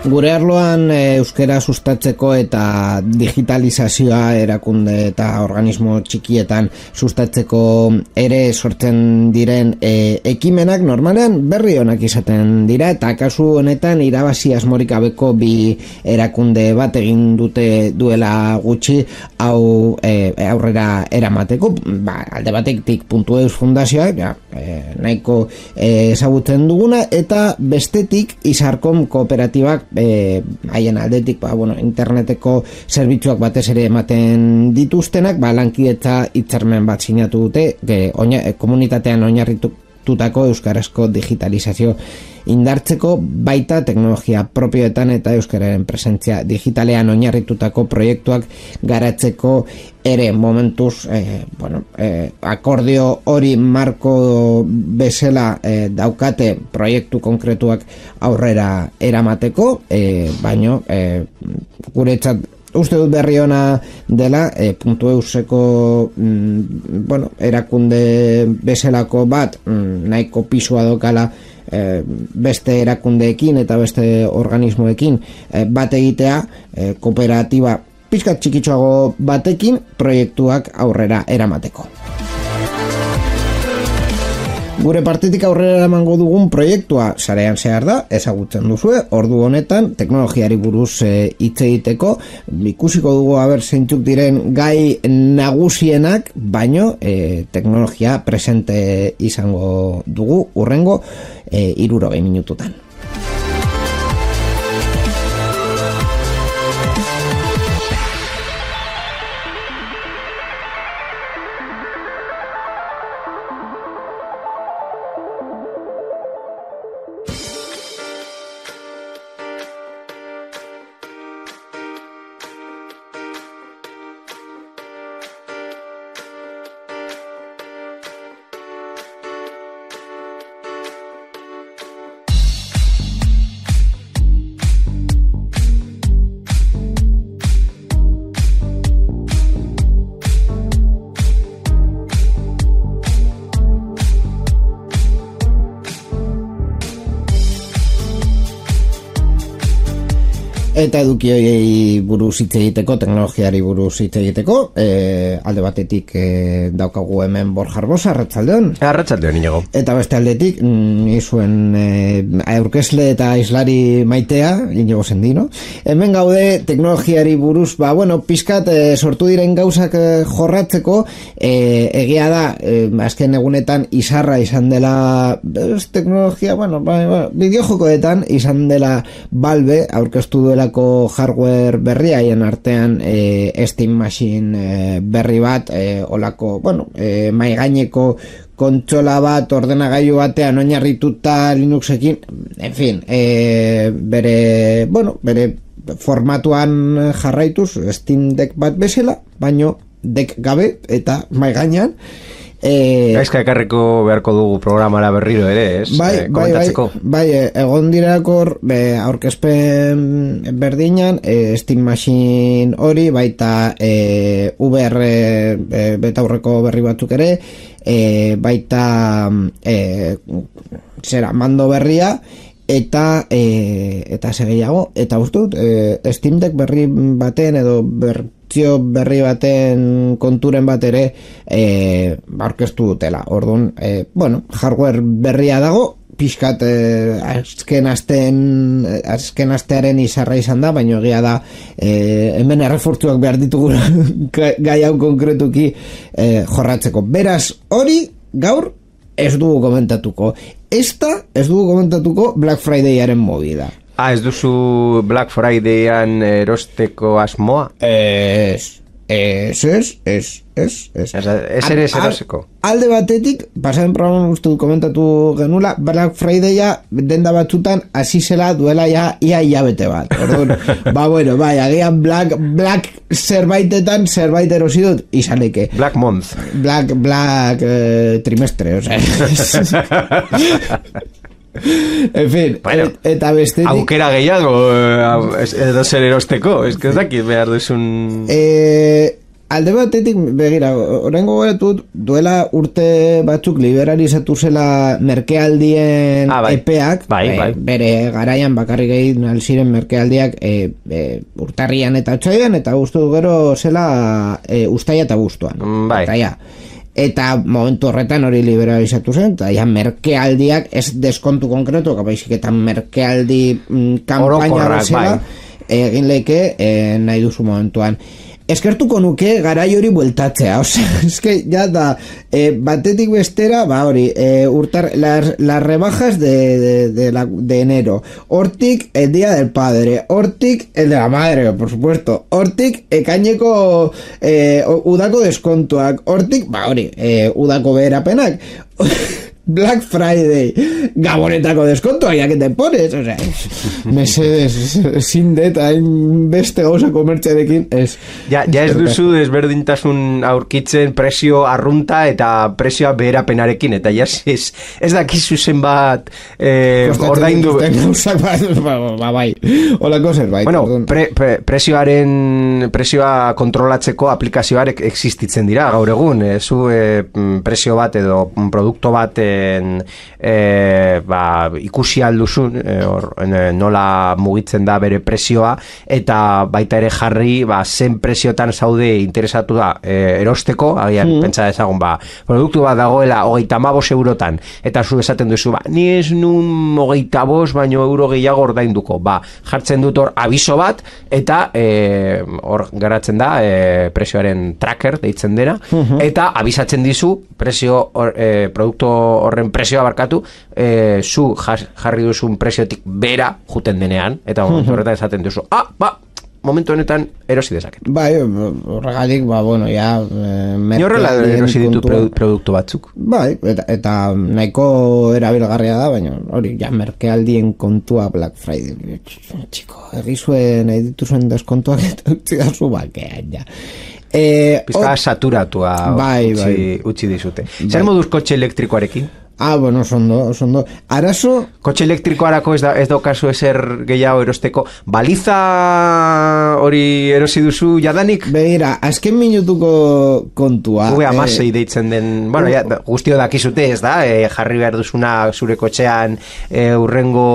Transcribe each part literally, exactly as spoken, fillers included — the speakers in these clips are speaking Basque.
Gure arloan e, euskera sustatzeko eta digitalizazioa erakunde eta organismo txikietan sustatzeko ere sortzen diren e, ekimenak normalean berri onak izaten dira, eta kasu honetan irabazi asmorik gabeko bi erakunde bat egin dute duela gutxi hau e, aurrera eramateko. Ba, alde batetik Puntu Eus Fundazioa, ja, e, nahiko e, ezagutzen duguna, eta bestetik Izarkom kooperatibak Eh, haien aldetik, ba, bueno, interneteko zerbitzuak batez ere ematen dituztenak, ba, lankidetza hitzarmen bat sinatu dute, ge, oina, komunitatean oinarritutako euskarazko digitalizazio indartzeko, baita teknologia propioetan eta euskararen presentzia digitalean oinarritutako proiektuak garatzeko ere. Momentuz eh, bueno, eh, akordio hori marko bezala eh, daukate proiektu konkretuak aurrera eramateko, eh, baino eh, guretzat uste dut berri ona dela, e, Puntu Euseko mm, bueno, erakunde bezalako bat mm, nahiko pisua dokala e, beste erakundeekin eta beste organismoekin e, bat egitea, e, kooperatiba pizkat txikitxoago batekin proiektuak aurrera eramateko. Gure partetik aurrera eramango dugun proiektua sarean zehar da, ezagutzen duzue, ordu honetan teknologiari buruz hitz e, egiteko, ikusiko dugu aber zeintzuk diren gai nagusienak, baino e, teknologia presente izango dugu urrengo e, hirurogei minututan. Eta edukioi buruz hitz egiteko, teknologiari buruz hitz egiteko, e, alde batetik e, daukagu hemen Borja Arbosa, arratsaldeon. Arratsaldeon, Inigo. Eta beste aldetik, ni zuen e, aurkezle eta islari maitea, Inigo Sendino. Hemen gaude teknologiari buruz, ba, bueno, pizkat e, sortu diren gauzak e, jorratzeko, e, egia da, e, azken egunetan izarra izan dela, ez, teknologia, bueno, ba, ba, bideojokoetan izan dela Valve, aurkeztu duela hardware berria, haien artean e, Steam Machine e, berri bat, e, olako, bueno, e, maigaineko kontsola bat, ordenagailu batean oinarrituta Linuxekin, en fin, e, bere, bueno, bere formatuan jarraituz Steam Deck bat bezala, baino Deck gabe eta maigainan. Eh, Gaizka ekarriko beharko dugu programara berriro ere, ez? Bai, eh, bai, bai, bai, egon dirakor aurkezpen berdinan, e, Steam Machine hori, baita e, V R e, betaurreko berri batzuk ere, e, baita e, zera, mando berria, eta e, eta segeiago, eta uste dut, e, Steam Deck berri baten edo ber berri baten konturen bat ere e, aurkeztu dutela. Orduan, e, bueno, hardware berria dago, pixkat e, azken asten azken astearen izarra izan da, baina egia da e, hemen errefortzuak behar ditugu gai hau konkretuki e, jorratzeko. Beraz, hori gaur ez dugu komentatuko. Esta ez dugu komentatuko Black Fridayaren movida. Ah, ez duzu Black Fridayan erosteko asmoa? Ez, Ez, ez, ez, ez, ez. Ez ere ez eroseko. Alde batetik, pasaren programan uste komentatu genula, Black Friday-a denda batzutan hasi zela duela ja ia hilabete bat. Orduan, ba bueno, bai, agian Black, Black zerbaitetan zerbait erosi dut, izaneke. Black Month. Black, Black eh, trimestre, o sea. En fin, bueno, et, eta bestetik aukera gehiago edo zer erosteko, ez que ez dakit behar duzun eh, alde batetik begira, oraingo goretut duela urte batzuk liberalizatu zela merkealdien ah, bai. epeak bai, bai. E, bere garaian bakarrik egin alziren merkealdiak e, e, urtarrian eta otsailean eta gustu gero zela e, ustaia eta abuztuan bai. Eta ja eta momentu horretan hori liberalizatu zen eta ja merkealdiak ez deskontu konkretu baizik eta merkealdi mm, kampaina bezala bai. Egin leke eh, nahi duzu momentuan eskertuko nuke garai hori bueltatzea, osea, eske ya da eh, batetik bestera, ba hori eh, urtar, las, las rebajas de, de, de, la, de enero, hortik el día del padre, hortik el de la madre, por supuesto, hortik ekaineko eh, udako deskontuak, hortik, ba hori eh, udako beherapenak Black Friday, gabonetako deskontua, ya que te pones, o sea, mesedes, sin deta, beste gauza komertziarekin, ez. Ja, ja ez duzu desberdintasun aurkitzen presio arrunta eta presioa beherapenarekin, eta ja ez, ez dakizu zenbat eh, ordaindu. Ba, ba, bai, holako zerbait. Bueno, pre, pre, presioaren, presioa kontrolatzeko aplikazioarek existitzen dira, gaur egun, eh, zu eh, presio bat edo produkto bat eh, E, ba, ikusi alduzun e, or, e, nola mugitzen da bere presioa eta baita ere jarri ba, zen presiotan zaude interesatu da e, erosteko, agian mm. pentsa dezagun ba, produktu bat dagoela hogeita hamabos eurotan eta zu esaten duzu ba, ni ez nun hogeita bost baino euro gehiago ordainduko, ba, jartzen dut hor abiso bat eta e, hor geratzen da e, presioaren tracker deitzen dena mm-hmm. eta abisatzen dizu presio or, e, produktu horren presioa barkatu e, zu jarri duzun presiotik bera juten denean eta momentu horretan esaten duzu ah, ba, momentu honetan erosi dezaket bai, horregatik, ba, bueno, ja eh, ni horrela erosi ditu produktu batzuk bai, eta, eta nahiko erabilgarria da, baina hori ja merkealdien kontua Black Friday txiko, egizuen nahi dituzuen deskontuak eta utzi da zu bakean ja Eh, Pizka or... saturatua bai, utzi, bai. utzi dizute. Zer bai. Moduz kotxe elektrikoarekin? Ah, bueno, sondo, sondo. Arazo... Kotxe elektrikoarako ez da, ez da kasu ezer gehiago erosteko. Baliza hori erosi duzu jadanik? Begira, azken minutuko kontua. Ube amasei eh, deitzen den... Bueno, ja, guztio dakizute ez da, eh, jarri behar duzuna zure kotxean eh, urrengo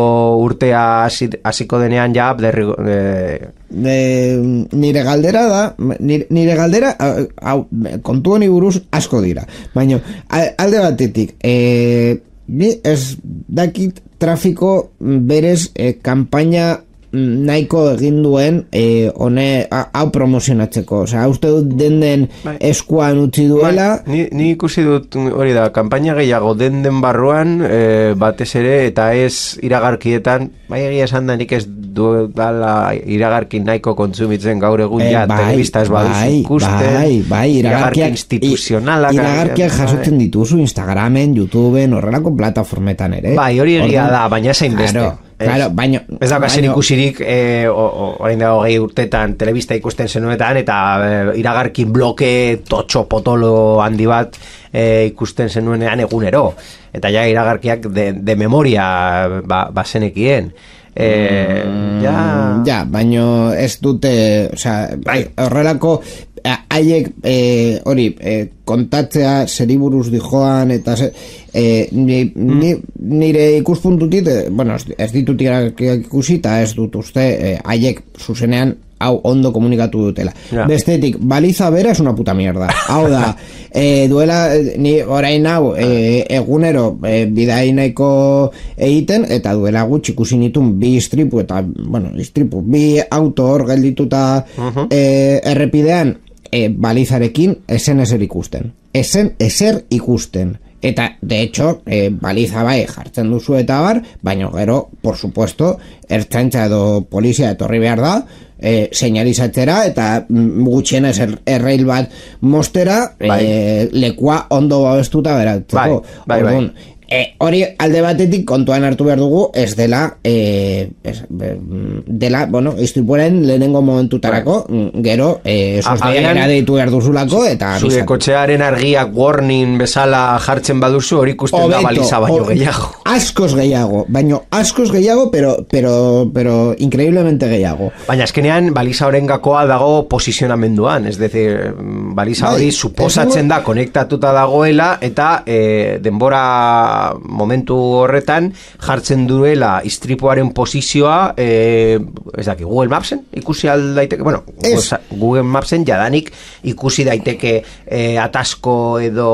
urtea hasiko denean ja, derri... Eh, De, nire galdera da nire, nire galdera hau, kontu honi buruz asko dira baina alde batetik e, ni ez dakit trafiko berez e, kampaina nahiko egin duen e, one hau promozionatzeko, osea, uste dut den den bai. Eskuan utzi duela bai. ni, ni ikusi dut hori da kampaina gehiago den den barruan e, batez ere eta ez iragarkietan bai egia esan da nik ez du dala iragarki nahiko kontsumitzen gaur egun ja e, bai, telebista ez baduzu bai, ikusten bai, bai, iragarki instituzionalak iragarkiak jasotzen dituzu Instagramen, YouTubeen, horrelako plataformetan ere bai, hori egia da, baina zein beste claro. Claro, baino, ez da kasen ikusirik eh, orain dago gehi urtetan telebista ikusten zenuetan eta eh, iragarki bloke totxo potolo handi bat eh, ikusten zenuenean egunero eta ja iragarkiak de, de memoria ba, bazenekien eh, mm, ja... ja, baino ez dute o sea, horrelako haiek eh, hori eh, kontatzea zeriburuz dijoan eta ze, eh, ni, mm. ni, nire ikuspuntutit eh, bueno, ez ditut ikusi eta ez dut uste haiek eh, zuzenean hau ondo komunikatu dutela yeah. Bestetik, baliza bera es una puta mierda hau da, eh, duela ni orain hau eh, egunero eh, bidai nahiko egiten eta duela gutxi ikusi nitun bi istripu eta, bueno, istripu bi auto hor geldituta uh-huh. eh, errepidean E, balizarekin esen eser ikusten esen eser ikusten eta de hecho e, baliza bai jartzen duzu eta bar baina gero por supuesto ertzaintza edo polizia etorri behar da e, seinalizatzera eta gutxienez er, errail bat mostera bai. e, lekua ondo babestuta beratzeko. Bai, bai, Orduan, bai. E, hori alde batetik kontuan hartu behar dugu ez dela e, ez, dela, bueno, istripuaren lehenengo momentutarako gero e, sosdeiakera deitu behar duzulako eta zure kotxearen argiak warning bezala jartzen baduzu hori ikusten Obeto, da baliza baino o, gehiago askoz gehiago, baino askoz gehiago pero, pero, pero increíblemente gehiago baina eskenean baliza horren gakoa dago posizionamenduan, ez decir baliza hori bai, suposatzen da konektatuta dagoela eta e, denbora momentu horretan jartzen duela istripuaren posizioa eh, ez daki, Google Mapsen ikusi aldaiteke, bueno, es. Google Mapsen jadanik ikusi daiteke eh, atasko edo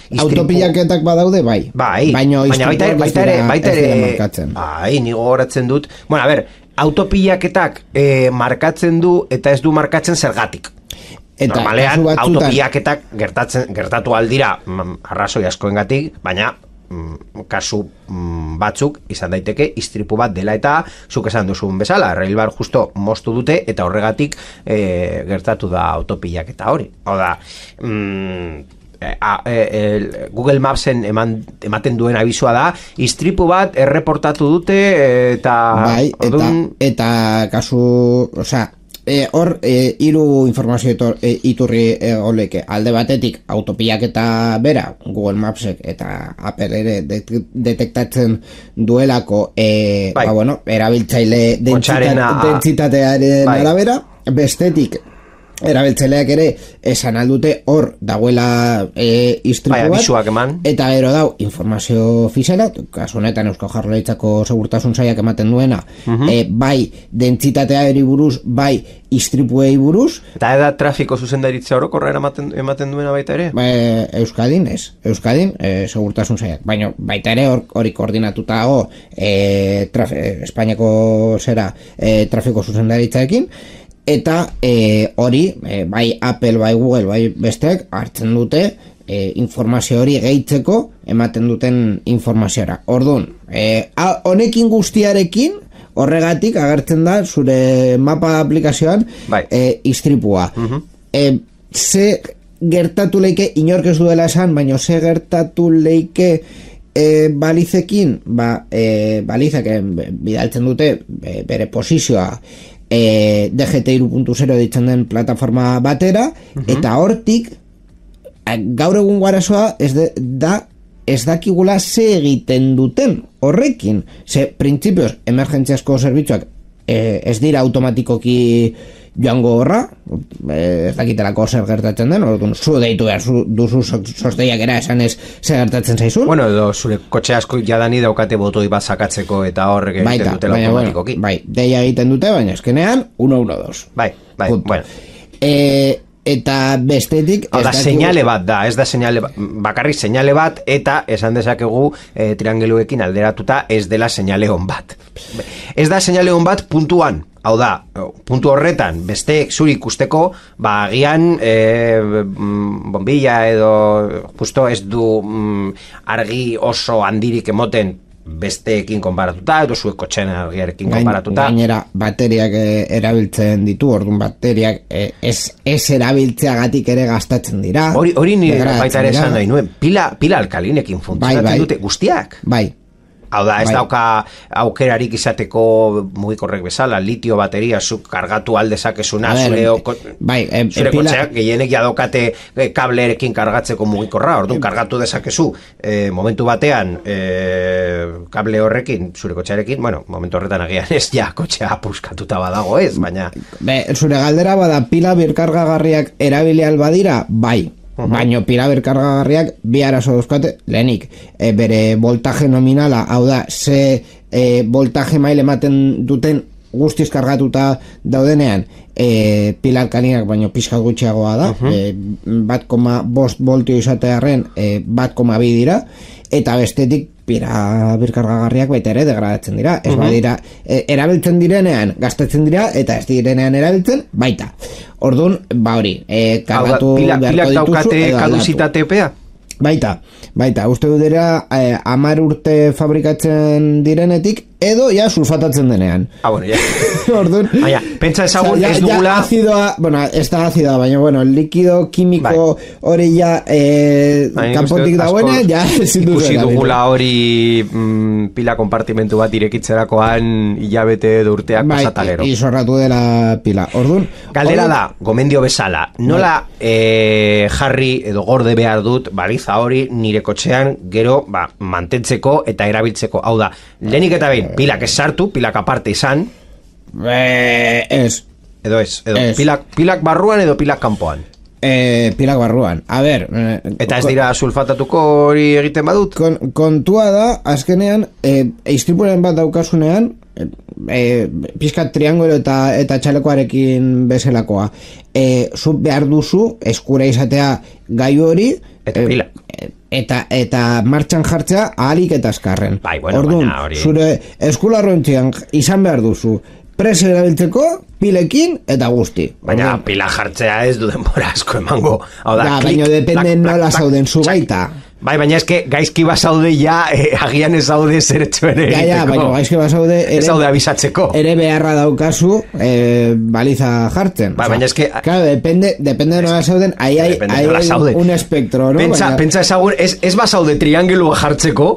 istripu... autopilaketak badaude, bai bai, baina baita ere baita ere, baita ere bai, nigo horatzen dut bueno, a ber, autopilaketak eh, markatzen du eta ez du markatzen zergatik eta normalean autopilaketak gertatzen, gertatu aldira arrazoi askoengatik, baina kasu batzuk izan daiteke istripu bat dela eta zuk esan duzun bezala, rail bar justo moztu dute eta horregatik e, gertatu da autopilak eta hori. Hau da, mm, a, e, Google Mapsen eman, ematen duen abizua da, istripu bat erreportatu dute eta... Bai, eta, ordun... eta kasu, osea, E, hor, e, hiru informazio etor, e, iturri e, oleke. Alde batetik, autopilak eta bera, Google Mapsek eta Apple ere detektatzen duelako e, bai. ba, bueno, erabiltzaile dentsitate, dentsitatearen bai. arabera. Bestetik, erabiltzaileak ere esan aldute hor dagoela e, istripu bat bai, eta gero dau informazio ofiziala, kasu honetan Eusko Jaurlaritzako segurtasun sailak ematen duena uh-huh. e, bai dentsitateari buruz, bai istripuei buruz eta eda trafiko zuzendaritza orokorra ematen, ematen duena baita ere? Ba, Euskadin ez, Euskadin e, segurtasun sailak, baina baita ere hori koordinatuta dago e, traf, e, Espainiako zera e, trafiko zuzendaritzaekin eta e, hori, e, bai Apple, bai Google, bai besteak hartzen dute e, informazio hori gehitzeko ematen duten informaziora. Orduan, e, honekin guztiarekin horregatik agertzen da zure mapa aplikazioan bai. e, istripua. Uh-huh. E, ze gertatu leike, inork ez duela esan, baina ze gertatu leike e, balizekin, ba, e, balizek e, bidaltzen dute e, bere posizioa E, D G T hiru puntu zero ditzen den plataforma batera uh-huh. eta hortik gaur egun arazoa ez de, da ez dakigula ze egiten duten horrekin, ze printzipioz emergentziazko zerbitzuak e, ez dira automatikoki joango horra, ez dakitelako zer gertatzen den, orduan zu deitu behar zu, duzu sosteiak era esan ez zer gertatzen zaizun. Bueno, edo zure kotxe asko jadani daukate botoi bat sakatzeko eta horrek egiten dutela automatikoki. Bueno, bai, deia egiten dute, baina eskenean uno uno dos. Bai, bai, Punto. Bueno. E, eta bestetik... Hau da, seinale bat da, ez da seinale bat, bakarrik seinale bat, eta esan dezakegu e, triangeluekin alderatuta ez dela seinale on bat. Ez da seinale on bat puntuan. Hau da, puntu horretan, besteek zuri ikusteko, ba, agian e, bombilla edo justo ez du mm, argi oso handirik emoten besteekin konparatuta, edo zuek kotxen argiarekin konparatuta. Gainera, bateriak erabiltzen ditu, orduan bateriak ez, ez erabiltzeagatik ere gastatzen dira. Hori, hori nire baita ere esan nahi nuen, pila, pila alkalinekin funtzionatzen bai, bai. dute guztiak. Bai. Hau da, ez bai. dauka aukerarik izateko mugikorrek bezala, litio bateria zuk kargatu aldezakezuna, zure bai, eh, zure kotxeak gehienek jadokate eh, kableerekin kargatzeko mugikorra, orduan kargatu dezakezu eh, momentu batean eh, kable horrekin, zure kotxearekin, bueno, momentu horretan agian ez ja kotxea puskatuta badago ez, baina... Be, zure galdera bada pila birkargagarriak erabili albadira, bai. Uh-huh. Baino pila berkargagarriak bi arazo dauzkate, lehenik e, bere voltaje nominala, hau da ze e, voltaje mail ematen duten guztiz kargatuta daudenean e, pila alkalinak baino pizkat gutxiagoa da, uh-huh. e, bat koma bost voltio izatearen e, bat koma bi dira, eta bestetik pila birkargagarriak baita ere degradatzen dira, ez uh-huh. badira e, erabiltzen direnean gastatzen dira eta ez direnean erabiltzen baita. Orduan, ba hori, e, kargatu pila, beharko dituzu daukate kaduzitate epea? Baita, baita, uste du dira e, hamar urte fabrikatzen direnetik edo ja sulfatatzen denean. Ah, bueno, ja. Orduan, baina, pentsa ezagun, o sea, ya, ez dugula... Ya azidoa, bueno, ez da azidoa, baina, bueno, likido kimiko hori bai. Ja eh, kanpotik dagoena, ja ezin duzu. Ikusi dugula hori mm, pila konpartimentu bat irekitzerakoan hilabete edo urteak bai, pasatalero. Bai, izorratu dela pila. Orduan... Galdera hori... da, gomendio bezala, nola eh, jarri edo gorde behar dut baliza hori nire kotxean gero ba, mantentzeko eta erabiltzeko. Hau da, lehenik eta behin, pilak ez sartu, pilak aparte izan. Eh, ez. Edo ez, edo es. Pilak, pilak barruan edo pilak kanpoan. Eh, pilak barruan. A ber... Eh, eta ez dira sulfatatuko hori egiten badut? Kon, kontua da, azkenean, eh, eistripuren bat daukasunean, eh, pizkat triangolo eta, eta txalekoarekin bezalakoa. Eh, zu behar duzu, eskura izatea gaiu hori... Eta pilak. Eh, eta eta martxan jartzea ahalik eta azkarren. Bai, bueno, Orduan, hori... zure eskularrontzian izan behar duzu presio erabiltzeko pilekin eta guzti. Baina Orduan, pila jartzea ez du denbora asko emango. Hau da, ja, klik, baina depende plak, nola plak, zauden zu plak, baita. Bai, baina eske gaizki basaude ja, eh, agian ez zaude zeretxo ere egiteko. Ja, ja, baina gaizki basaude ere, ez zaude abisatzeko. Ere beharra daukazu eh, baliza jartzen. Bai, o sea, baina eske... Claro, depende, depende de nola zauden, ahí hay, hay un espectro, ¿no? Pentsa, baina... pentsa ezagun, ez, ez basaude triangulua jartzeko,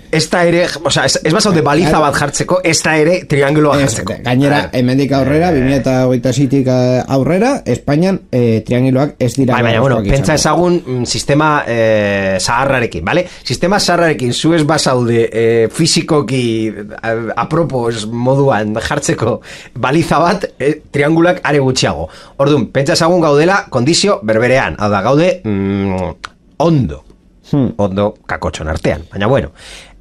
ez da ere, o sea, ez, ez basaude baliza bat jartzeko, ez da ere triangulua jartzeko. Gainera, hemendik aurrera, bi mila hogeita seitik aurrera, Espainian eh, trianguloak ez dira... Bai, baina, bueno, pentsa ezagun mm, sistema eh, zaharrarekin, ¿vale? Sistema zaharrarekin, zu ez basaude eh, fizikoki eh, apropos moduan jartzeko baliza bat, eh, triangulak are gutxiago. Orduan, pentsa ezagun gaudela kondizio berberean, hau da, gaude mm, ondo, hmm. ondo kakotxon artean, baina bueno...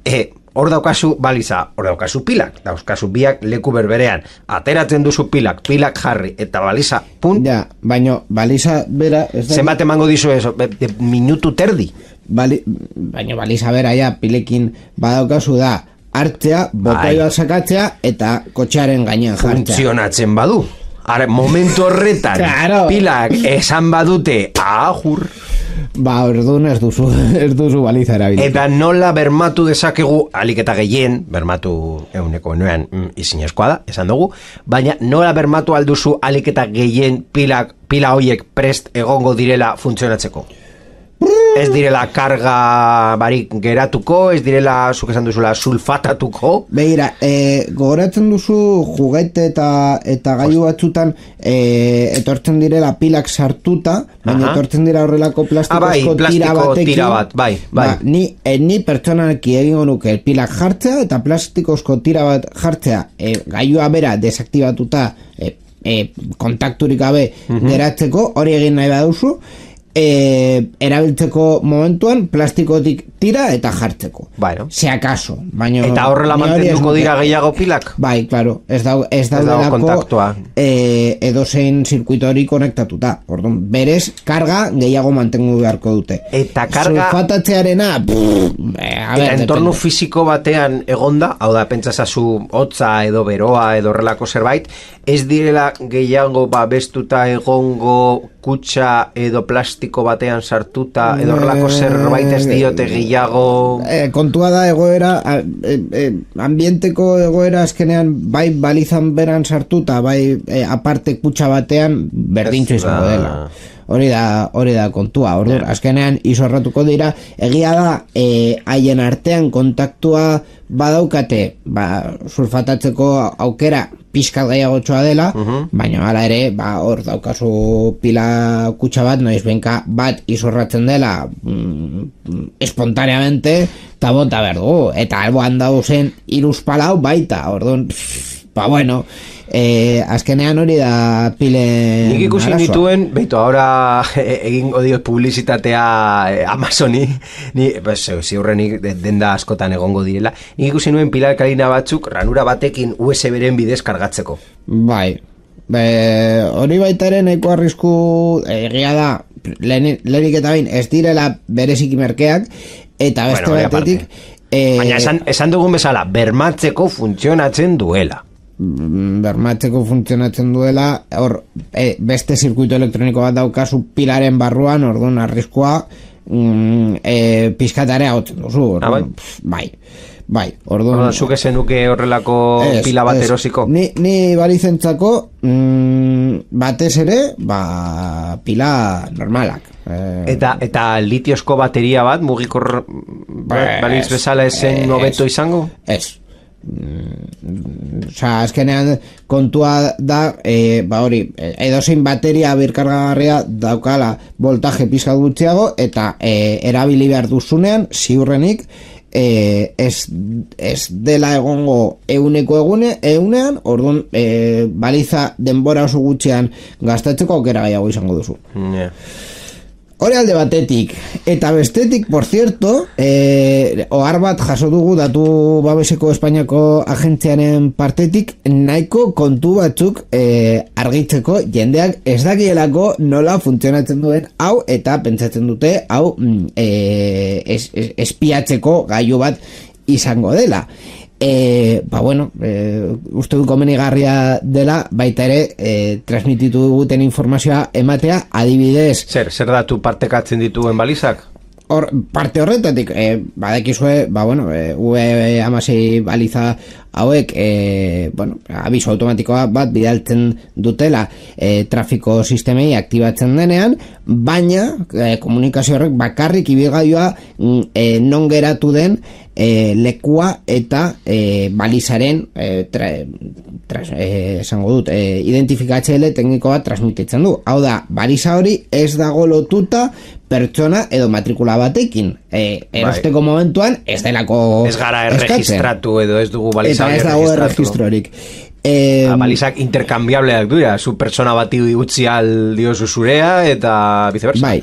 Eh, hor daukazu baliza, hor daukazu pilak, daukazu biak leku berberean, ateratzen duzu pilak, pilak jarri, eta baliza, punt. Ja, baino, baliza bera... Zenbat emango dizu eso, de, de minutu terdi. Bali, baino, baliza bera, ja, pilekin badaukazu da, hartzea, botoi bat sakatzea, eta kotxearen gainean jartzea. Funtzionatzen badu. Ara, momentu horretan, claro. Pilak esan badute, ahur... Ba, orduan ez duzu, ez duzu baliza erabilita. Eta nola bermatu dezakegu, alik eta gehien, bermatu euneko enuean mm, izinezkoa da, esan dugu, baina nola bermatu alduzu alik eta gehien pilak, pila hoiek prest egongo direla funtzionatzeko? Ez direla karga barik geratuko, ez direla, zuk esan duzula, sulfatatuko. Begira, e, gogoratzen duzu juguete eta eta gailu batzutan e, etortzen direla pilak sartuta, baina Aha. etortzen dira horrelako plastikozko ah, bai, tira batekin. Tira bat, bai, bai. Ba, ni, e, ni pertsonalki egingo nuke pilak jartzea eta plastikozko tira bat jartzea e, gailua bera desaktibatuta e, e, kontakturik gabe uh-huh. geratzeko, hori egin nahi baduzu, E, erabiltzeko momentuan plastikotik tira eta jartzeko. Bueno. Se acaso. Baino, eta horrela mantenduko dira gehiago pilak? Bai, claro. Ez da ez daudelako e, edozein zirkuito hori konektatuta. Orduan, berez, karga gehiago mantengu beharko dute. Eta karga... Sulfatatzearena... Pff, a ber, eta entorno depende. Fisiko batean egonda, hau da, pentsasazu hotza edo beroa edo horrelako zerbait, ez direla gehiago babestuta egongo kutxa edo plastiko batean sartuta edo horrelako zerbait ez diote gehiago... E, kontua da egoera, e, e, ambienteko egoera azkenean bai balizan beran sartuta, bai e, aparte kutxa batean berdintxo izango dela. Hori da, hori da kontua, ordur, yeah. azkenean izorratuko dira, egia da, e, haien artean kontaktua badaukate, ba, sulfatatzeko aukera pixkat gehiagotxoa dela, uh-huh. baina hala ere, ba, hor daukazu pila kutxa bat, noiz benka bat izorratzen dela mm, espontaneamente, eta bota berdu, eta alboan dauzen iruz palau baita, orduan, ba, bueno, Eh, azkenean hori da pilen nik ikusi arazoa. Dituen, beitu, ahora egingo dio publizitatea eh, Amazoni, ni, pues, ziurrenik denda askotan egongo direla, nik ikusi nuen pilarkalina batzuk ranura batekin U S B-ren bidez kargatzeko. Bai, Be, hori baitaren eko arrisku egia da, lehenik eta bain ez direla bereziki merkeak, eta beste bueno, batetik eh, baina esan, esan dugun bezala, bermatzeko funtzionatzen duela. Bermatzeko funtzionatzen duela, hor e, beste zirkuito elektroniko bat daukazu pilaren barruan, orduan arriskua mm, e, pizkatarea hotzen duzu, orduan, ah, bai. Pf, bai. Bai, orduan... Orduan, zuk ezenuke horrelako es, pila bat es, erosiko? Ni, ni balizentzako mm, batez ere, ba, pila normalak. Eh, eta eta litiozko bateria bat, mugikor ba, baliz bezala esen hobeto izango? Ez. Mm, Osa, azkenean kontua da, e, ba hori, edozein bateria birkargagarria daukala voltaje pizka gutxiago, eta e, erabili behar duzunean, ziurrenik, E, ez, ez dela egongo euneko egune, eunean, orduan e, baliza denbora oso gutxean gastatzeko aukera gehiago izango duzu. Yeah. Hori alde batetik, eta bestetik, por cierto, eh, ohar bat jaso dugu datu babeseko Espainiako agentziaren partetik nahiko kontu batzuk eh, argitzeko jendeak ez dakielako nola funtzionatzen duen hau, eta pentsatzen dute hau eh, es, es, espiatzeko gailu bat izango dela. E, ba bueno, e, uste du komenigarria dela baita ere e, transmititu duguten informazioa ematea, adibidez zer, zer datu partekatzen dituen balizak? Hor, parte horretatik e, badakizue, ba bueno, e, U E hamasei baliza hauek e, bueno, abiso automatikoa bat bidaltzen dutela e, trafiko sistemei aktibatzen denean, baina e, komunikazio horrek bakarrik ibilgailua e, non geratu den e, lekua eta e, balizaren e, tra, tra, e, esango dut e, identifikatzaile tekniko bat transmititzen du. Hau da, baliza hori ez dago lotuta pertsona edo matrikula batekin. E, erosteko bai. Momentuan ez delako ez gara erregistratu edo ez dugu baliza hori erregistratu. Ez dago erregistrorik. Eh, balizak interkambiableak dira, zu persona bati utzi al diozu zurea eta viceversa. Bai.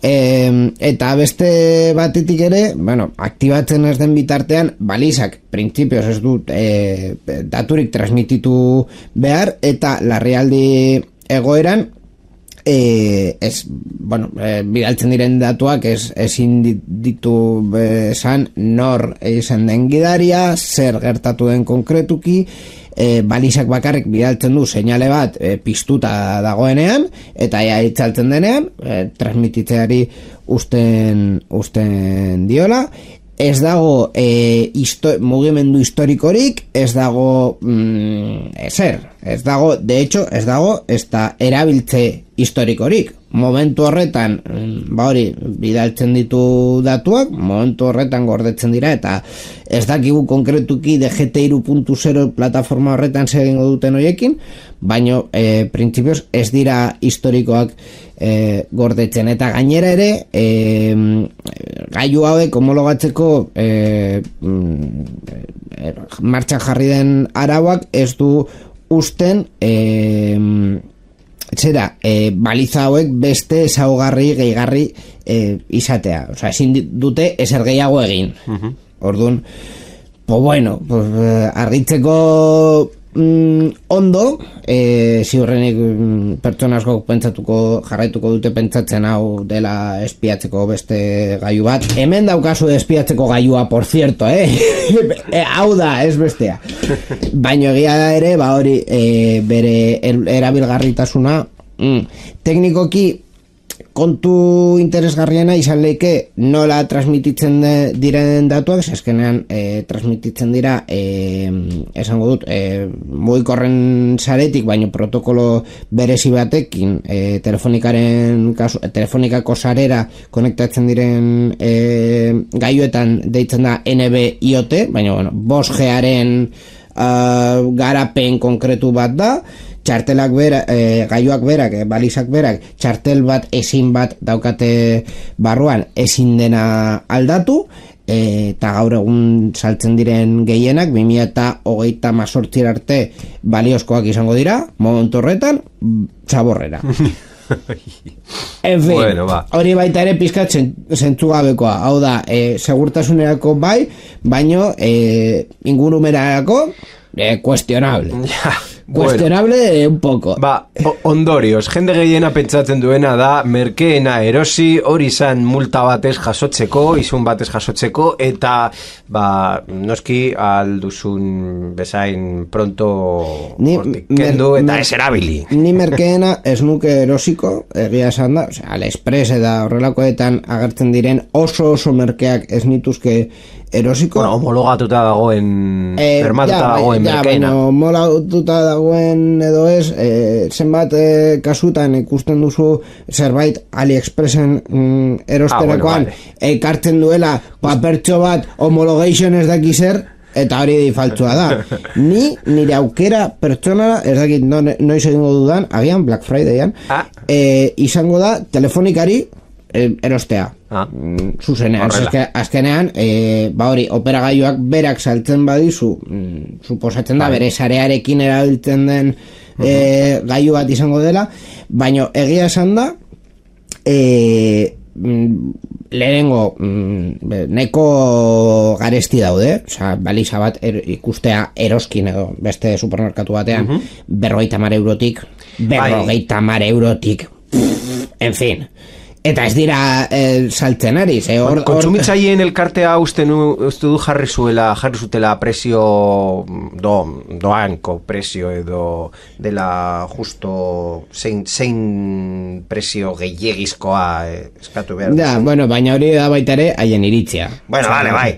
E, eta beste batetik ere, bueno, aktibatzen ez den bitartean, balizak printzipioz ez dut e, daturik transmititu behar, eta larrialdi egoeran e, ez, bueno, e, bidaltzen diren datuak ez, ezin ditu esan nor izan den gidaria, zer gertatu den konkretuki, E, balizak bakarrik bidaltzen du seinale bat e, piztuta dagoenean, eta ea itzaltzen denean e, transmititzeari usten, usten diola. Ez dago e, histo- mugimendu historikorik, ez dago mm, ezer, ez dago, de hecho, ez dago ez da erabiltze historikorik. Momentu horretan, ba hori, bidaltzen ditu datuak, momentu horretan gordetzen dira, eta ez dakigu konkretuki D G T hiru puntu zero plataforma horretan zer egingo duten horiekin, baino e, printzipioz ez dira historikoak e, gordetzen, eta gainera ere e, gailu hauek homologatzeko e, e, martxan jarri den arauak ez du usten e, zera, e, baliza hauek beste ezaugarri gehigarri e, izatea, osea, ezin dute ezer gehiago egin. Uh-huh. Orduan, pues bueno, pues, argitzeko mm, ondo, e, ziurrenik mm, pertsona asko pentsatuko, jarraituko dute pentsatzen hau dela espiatzeko beste gailu bat. Hemen daukazu espiatzeko gailua, por cierto, eh? e, hau da, ez bestea. Baina egia da ere, ba hori, e, bere er, erabilgarritasuna, mm, teknikoki kontu interesgarriena izan leike nola transmititzen de, diren datuak, eskenean e, transmititzen dira e, esango dut e, mugikorren saretik, baino protokolo berezi batekin e, telefonikaren kasu, telefonikako sarera konektatzen diren e, gailuetan deitzen da N B I O T, baina bueno, bost G-aren uh, garapen konkretu bat da. Txartelak bera, e, gailuak berak, e, balizak berak, txartel bat ezin bat daukate barruan ezin dena aldatu, e, eta gaur egun saltzen diren gehienak bi mila hogeita hemezortzi arte baliozkoak izango dira, momentu horretan txaborrera. En fin, bueno, hori baita ere pizkat zentzugabekoa, hau da, e, segurtasunerako bai, baino e, ingurumerarako e, kuestionable. Ja. Cuestionable bueno, un poco. Ba, ondorioz, jende gehiena pentsatzen duena da, merkeena erosi, hori izan multa batez jasotzeko, izun batez jasotzeko, eta, ba, noski alduzun bezain pronto ni, kendu mer, eta mer, ez erabili. Ni merkeena ez nuke erosiko, egia esan da, osea, AliExpress eta horrelakoetan agertzen diren oso oso merkeak ez nituzke erosiko. Bueno, homologatuta dagoen, eh, bermatuta ja, dagoen ja, merkeena. Bueno, homologatuta dagoen edo ez, eh, zenbat eh, kasutan ikusten duzu zerbait AliExpressen mm, erosterakoan, ah, bueno, vale. Ekartzen duela papertxo bat homologation ez daki zer, eta hori faltsua da. Ni, nire aukera pertsonala, ez dakit no, noiz egingo dudan, agian Black Fridayan, ah. eh, izango da telefonikari erostea. Ah. Zuzenean, azke, azkenean e, ba hori, operagailuak berak saltzen badizu, mm, suposatzen da, bere sarearekin erabiltzen den uh-huh. e, gailu bat izango dela, baina egia esan da e, lehenengo mm, neko garesti daude, osea, baliza bat er, ikustea eroskin edo beste supermerkatu batean, uh-huh. berrogeita hamar eurotik, berrogeita hamar eurotik, en fin. Eta ez dira eh, saltzen ari. Or, Kontsumitzaileen elkartea uste du jarri zuela, jarri zutela presio do, doanko presio edo dela justo zein, zein presio gehiagizkoa eh, eskatu behar. Ja, bueno, baina hori da baita ere haien iritzia. Bueno, vale, bai.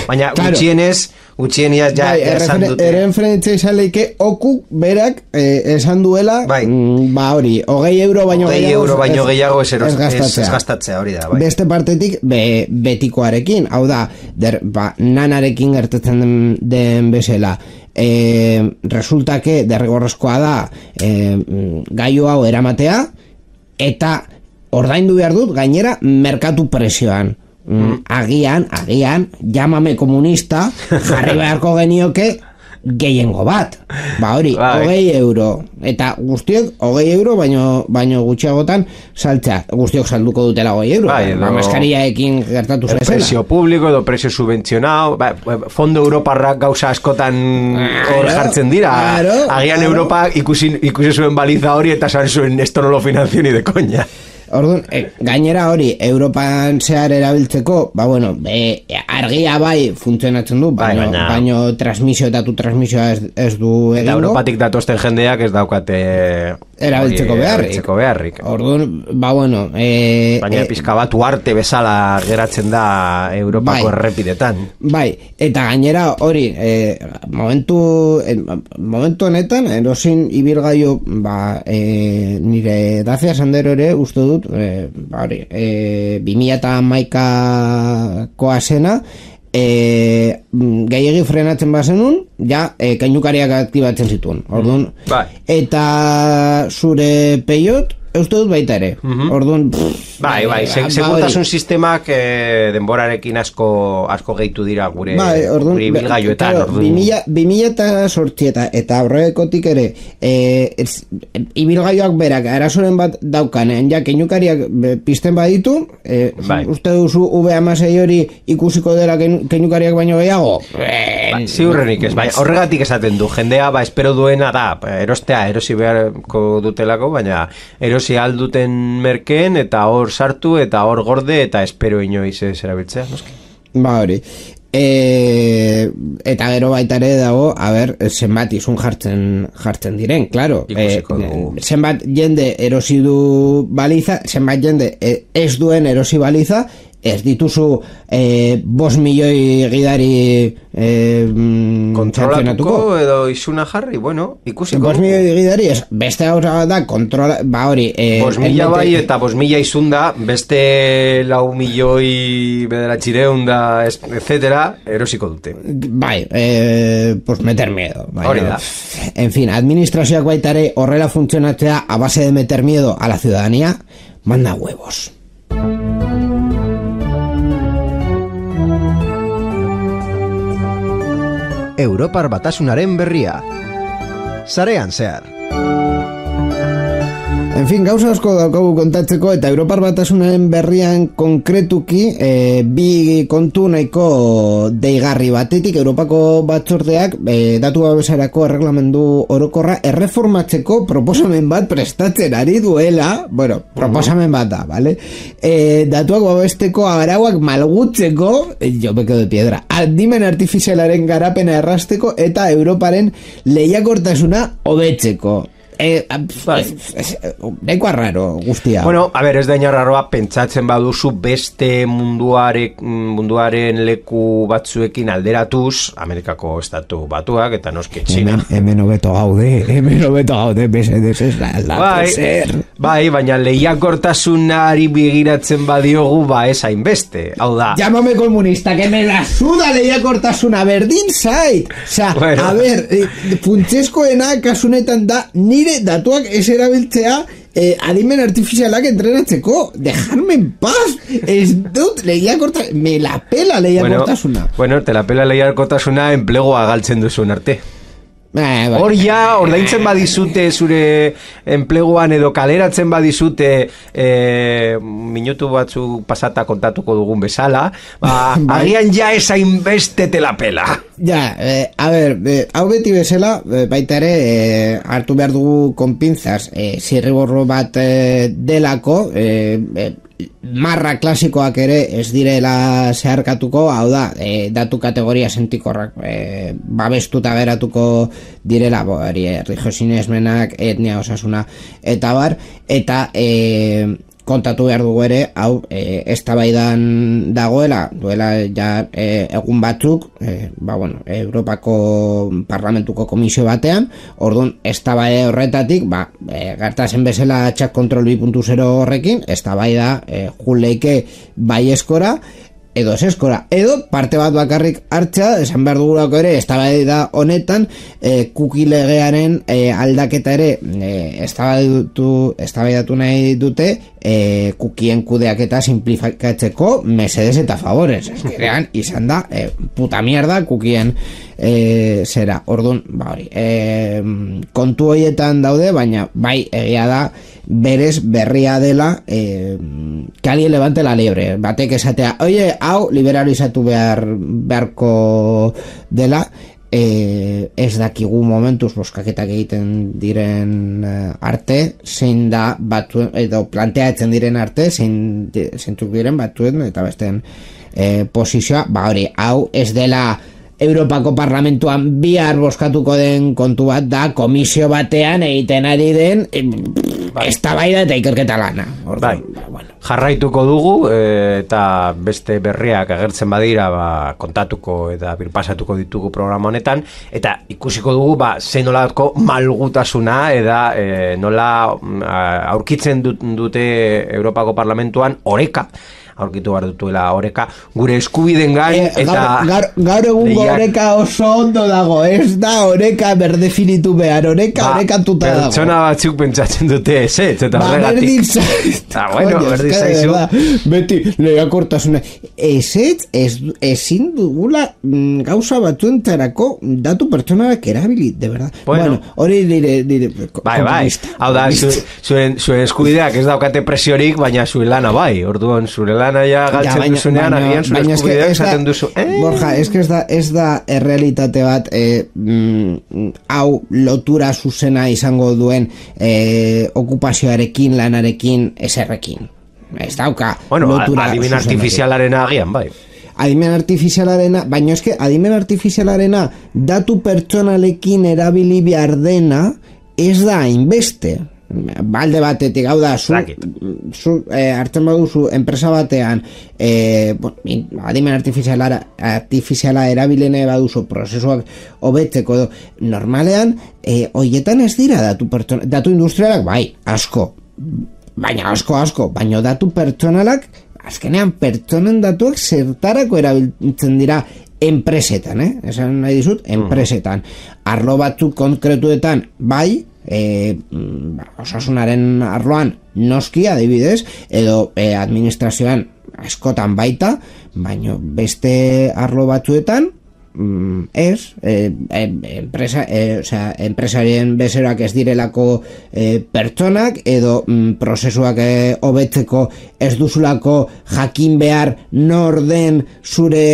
Baina claro. Gutxienez Gutxieniaz ja bai, esan dute. Eren frentza izan leike oku berak eh, esan duela bai. mm, ba hori, hogei euro baino hogei gehiago euro baino gehiago ez, eros, ez gastatzea. Ez gastatzea hori da bai. Beste partetik be, betikoarekin, hau da der, ba, nanarekin gertatzen den, den bezala eh, resulta que derrigorrezkoa da eh, gailu hau eramatea eta ordaindu behar dut gainera merkatu presioan. Mm, agian, agian, llámame komunista, jarri beharko genioke gehiengo bat. Ba hori, hogei euro. Eta guztiok, hogei euro, baino, baino gutxiagotan saltzea. Guztiok salduko dutela hogei euro. Bai, ba, maskariaekin gertatu zezela. Presio publiko edo presio subventzionao. Ba, fondo Europarrak gauza askotan hor jartzen dira. Claro, agian claro. Europa ikusi, ikusi zuen baliza hori eta zan zuen esto no lo financio ni de coña. Orduan, e, gainera hori Europan zehar erabiltzeko, ba bueno, e, argia bai funtzionatzen du, baino, bai, baino transmisio eta tu transmisioa ez, ez du egingo. Eta Europatik datosten jendeak ez daukate erabiltzeko beharrik. Erabiltzeko beharrik. Orduan, ba bueno, e, baina e, pizka bat uarte bezala geratzen da Europako bai, errepidetan. Bai, eta gainera hori, e, momentu e, momentu honetan erosin ibilgailu ba e, nire Dacia Sandero ere uste dut Eh, bari, eh, bi mila hamaikakoa zena eh, gehiagi frenatzen bazenun ja eh, kainukariak aktibatzen zituen orduan, bai. Eta zure peiot uste dut baita ere uh-huh. Orduan pff, bai, bai, bai, segurtasun sistemak eh, denborarekin asko asko gehitu dira gure bai, orduan, gure bilgailuetan bi mila zortzi eta eta horrekotik ere eh, ibilgailuak berak arazoren bat daukanen ja keinukariak pizten baditu eh, bai. Uste duzu U B hamasei hori ikusiko dela keinukariak baino gehiago ba, ziurrenik ez, bai, horregatik esaten du jendea ba espero duena da erostea erosi beharko dutelako baina erosi alduten merkeen eta hor sartu eta hor gorde eta espero inoiz ez erabiltzea, noski? Ba hori. E, eta gero baita ere dago, a ber, zenbat izun jartzen jartzen diren, claro. E, zenbat jende erosi du baliza, zenbat jende ez duen erosi baliza, ez dituzu eh, bos milioi gidari eh, kontrolatuko edo izuna jarri, bueno, ikusiko. Bos milioi gidari, ez, beste hauza da, kontrola, ba hori. Eh, bos mila bai eta bos mila izunda, beste lau milioi bederatxireun da, etcétera, erosiko dute. Bai, eh, pues meter miedo. Bai, hori da. En fin, administrazioak baitare horrela funtzionatzea a base de meter miedo a la ciudadanía, manda huevos. Europar Batasunaren berria. Sarean zehar. En fin, gauza asko daukagu kontatzeko, eta Europar Batasunaren berrian konkretuki e, bi kontu nahiko deigarri. Batetik, Europako batzordeak e, datu babesarako erreglamendu orokorra erreformatzeko proposamen bat prestatzen ari duela, bueno, proposamen bat da, vale? E, datuak babesteko arauak malgutzeko, jo beko de piedra, adimen artifizialaren garapena errasteko eta Europaren lehiakortasuna hobetzeko. Eh, neko arraro guztia. Bueno, a ver, ez da inarraroa pentsatzen baduzu beste munduare, munduaren leku batzuekin alderatuz, Amerikako estatu batuak, eta noski China. Hemen, hemen hobeto gaude, hemen hobeto gaude, besedez ez da, bai, bai, baina lehiakortasunari begiratzen badiogu, ba, ez hainbeste, hau da. Llámame comunista, que me la suda lehiakortasuna, berdin zait. Osa, bueno. A ver, funtsezkoena kasunetan da, ni datuak ez erabiltzea eh, adimen artifizialak entrenatzeko. Dejarme en paz. Ez dut lehiakorta, me la pela lehiakortasuna. Bueno, bueno, te la pela lehiakortasuna enplegoa galtzen duzun arte. Eh, Hor ja, ordaintzen badizute zure enpleguan edo kaleratzen badizute eh, minutu batzu pasata kontatuko dugun bezala, ba, agian ja esain beste te la pela. Ja, eh, a ver, eh, hau beti bezala, eh, baita ere, eh, hartu behar dugu konpintzaz, eh, zirriborro bat eh, delako, eh, eh, marra klasikoak ere ez direla zeharkatuko, hau da, e, datu kategoria sentikorrak e, babestuta beratuko direla, bo, eri, erlijosinesmenak, etnia, osasuna, eta bar, eta e, kontatu behar dugu ere, hau, e, eztabaidan dagoela, duela ja e, egun batzuk, e, ba, bueno, Europako Parlamentuko komisio batean, orduan, eztabaida horretatik, ba, e, gertatzen bezala txak kontrol bi puntu zero horrekin, eztabaida e, juleike bai eskora, edo eseskora, edo parte bat bakarrik hartzea, esan behar dugulako ere, eztabaida honetan, e, kuki legearen e, aldaketa ere e, eztabaidatu, eztabaidatu nahi dute, e, kukien kudeaketa simplifikatzeko mesedes eta favorez. Eskerean, izan da, e, puta mierda kukien e, zera. Orduan, ba hori, e, kontu horietan daude, baina bai egia da, berez berria dela eh, que alguien levante la liebre, batek esatea, oye, hau liberalizatu behar beharko dela, eh, ez dakigu momentuz boskaketak egiten diren eh, arte, zein da batu, edo planteatzen diren arte, zein zeintzuk diren batuen eta besteen eh, posizioa, ba hori, hau ez dela Europako Parlamentuan bihar boskatuko den kontu bat da, komisio batean egiten ari den bai. Eztabaida eta ikerketa lana. Bai. Bueno. Jarraituko dugu e, eta beste berriak agertzen badira ba, kontatuko eta birpasatuko ditugu programa honetan, eta ikusiko dugu ba, zein nolako malgutasuna eta e, nola a, aurkitzen dut, dute Europako Parlamentuan oreka aurkitu behar dutuela oreka gure eskubiden gain, eh, eta gaur, gaur egungo oreka oso ondo dago, ez da oreka berdefinitu behar, oreka ba, orekatuta dago. Pertsona batzuk pentsatzen dute ez, ez, eta ba, horregatik. Ba, bueno, berdin zaizu. Beti, lehiakortasuna. Ez, ez, ez, ezin dugula mm, gauza batzuentzarako datu pertsonarak erabili, de verdad. Bueno, hori bueno, dire, dire, bai, bai, hau da, zuen, zuen eskubideak ez daukate presiorik, baina zuen lana bai, orduan zure lana ja galtzen ja, duzunean, agian zure eskubideak esaten duzu. Eh? Borja, ez que ez da, ez da errealitate bat eh, mm, hau lotura zuzena izango duen eh, okupazioarekin, lanarekin, eserrekin. Ez dauka bueno, lotura adimen artifizialarena agian, bai. Adimen artifizialarena, baina eske adimen artifizialarena datu pertsonalekin erabili behar dena ez da hainbeste. Balde batetik, hau da, zu, zu eh, hartzen baduzu enpresa batean eh, bon, adimen artifiziala, artifiziala erabilene baduzu prozesuak hobetzeko edo normalean, eh, hoietan ez dira datu, pertsona, datu industrialak, bai, asko, baina asko, asko, baina datu pertsonalak, azkenean pertsonen datuak zertarako erabiltzen dira enpresetan, eh? Esan nahi dizut, enpresetan. Arlo batzuk konkretuetan, bai, E, osasunaren arloan noski adibidez, edo e, administrazioan askotan baita, baino beste arlo batzuetan mm, ez, e, e, enpresa, e, osea, enpresarien bezeroak ez direlako e, pertsonak, edo mm, prozesuak e, hobetzeko ez duzulako jakin behar nor den zure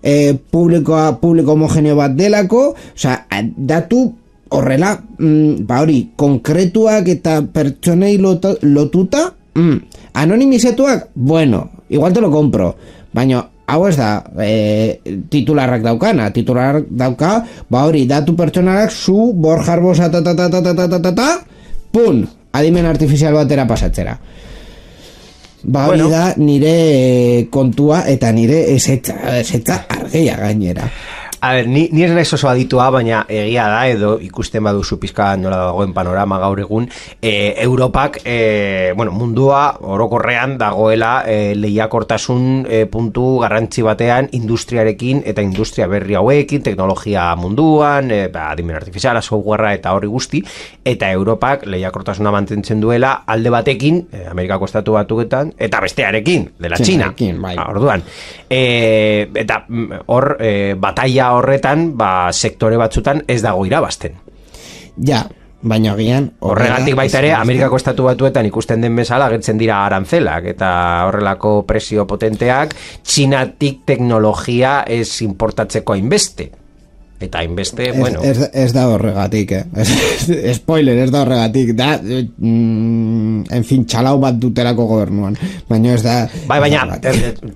e, publikoa, publiko homogeneo bat delako, osea, datu horrela, mm, ba hori, konkretuak eta pertsonei lotu, lotuta, mm, anonimizatuak, bueno, igual te lo compro, baina hau ez da e, titularrak daukana, titularrak dauka, ba hori, datu pertsonalak zu, Borja Arbosa, ta ta ta ta ta ta ta ta ta, pun, adimen artifizial batera pasatzera. Ba hori bueno. Da nire kontua eta nire esetza, esetza argeia gainera. A ber, ni, ni ez naiz oso aditua, baina egia da, edo ikusten baduzu pizka nola dagoen panorama gaur egun, e, Europak, e, bueno, mundua orokorrean dagoela e, lehiakortasun e, puntu garrantzi batean industriarekin eta industria berri hauekin, teknologia munduan, e, ba, adimen artifiziala, softwarea eta hori guzti, eta Europak lehiakortasuna mantentzen duela alde batekin, e, Amerikako estatu batuetan, eta bestearekin, dela China. Bai. Orduan, e, eta hor e, bataia horretan, ba, sektore batzutan ez dago irabazten. Ja, baina agian horregatik baita ere Amerikako estatu batuetan ikusten den bezala agertzen dira arantzelak eta horrelako presio potenteak Txinatik teknologia ez importatzeko hainbeste. Eta hainbeste, bueno... Ez, ez da horregatik, eh? Spoiler, ez da horregatik. Da, mm, en fin, txalau bat dutelako gobernuan. Baina ez da... Bai, baina,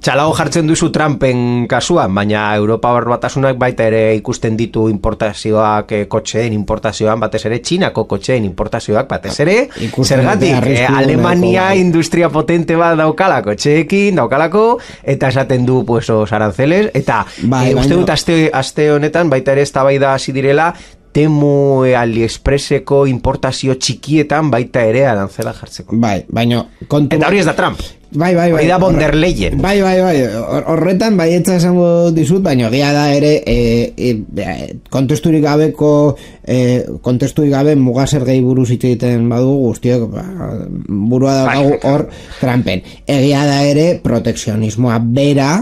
txalau jartzen duzu Trumpen kasuan, baina Europa Batasunak baita ere ikusten ditu importazioak, eh, kotxeen importazioan, batez ere Txinako kotxeen importazioak, batez ere, zergatik, eh, Alemania deko, industria potente bat daukala kotxeekin, daukalako, eta esaten du, pues, os aranceles, eta bai, eh, uste dut aste, aste honetan, baita ere eztabaida hasi direla Temu AliExpresseko importazio txikietan baita ere arantzela jartzeko. Bai, baina kontu... Eta hori ez da Trump. Bai, bai, bai. Hori da von der Leyen. Bai, bai, bai. Horretan baietza esango dizut, baina egia da ere e, e, kontesturik gabeko e, kontesturik gabe mugasergei buruz hitz egiten badugu guztiok ba, burua daukagu hor Trumpen. Egia da ere protekzionismoa bera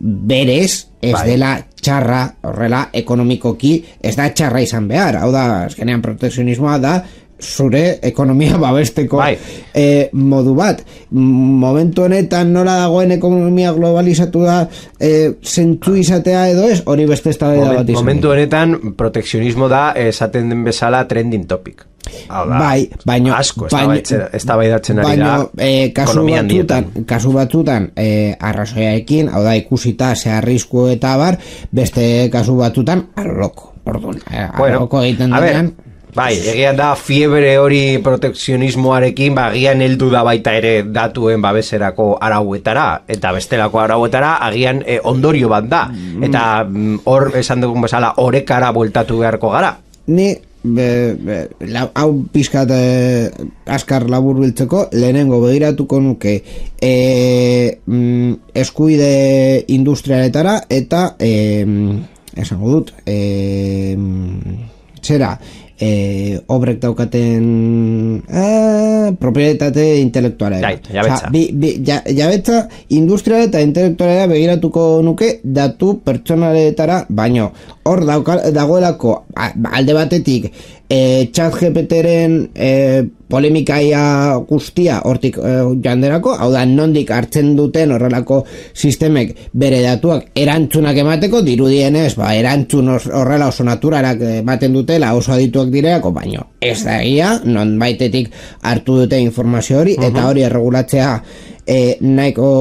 berez ez bai. Dela txarra, horrela ekonomikoki ez da txarra izan behar, hau da, azkenean protekzionismoa da zure ekonomia babesteko bai. e, modu bat. Momentu honetan nola dagoen ekonomia globalizatu da e, zentzu izatea edo ez, hori beste eztabaida bat izan. Momentu honetan protekzionismo da esaten den bezala trending topic. Hala, bai, baino, asko eztabaidatzen ari da e, kasu batzutan, kasu batzutan e, arrazoiaekin, hau da ikusita ze arrisku eta bar, beste kasu batzutan arloko. Orduan, bueno, arloko egiten denean. Bai, egian da fiebre hori protekzionismoarekin, ba, agian heldu da baita ere datuen babeserako arauetara, eta bestelako arauetara agian e, ondorio bat da, eta hor mm, esan dugun bezala orekara bueltatu beharko gara. Ni Be, be, la, hau pizkat eh, askar labur biltzeko lehenengo begiratuko nuke e, mm, eskuide industrialetara eta e, esango dut e, zera e, obrek daukaten eh, propietate intelektuala jabetza ja, jabetza industriala eta intelektuala begiratuko nuke datu pertsonaletara, baino hor dagoelako alde batetik e, ChatGPTren e, polemikaia guztia hortik e, janderako, hau da nondik hartzen duten horrelako sistemek bere datuak erantzunak emateko, dirudienez ba, erantzun horrela oso naturarak ematen dutela oso adituak direako, baino ez da egia, non baitetik hartu dute informazio hori, uh-huh. Eta hori erregulatzea e, nahiko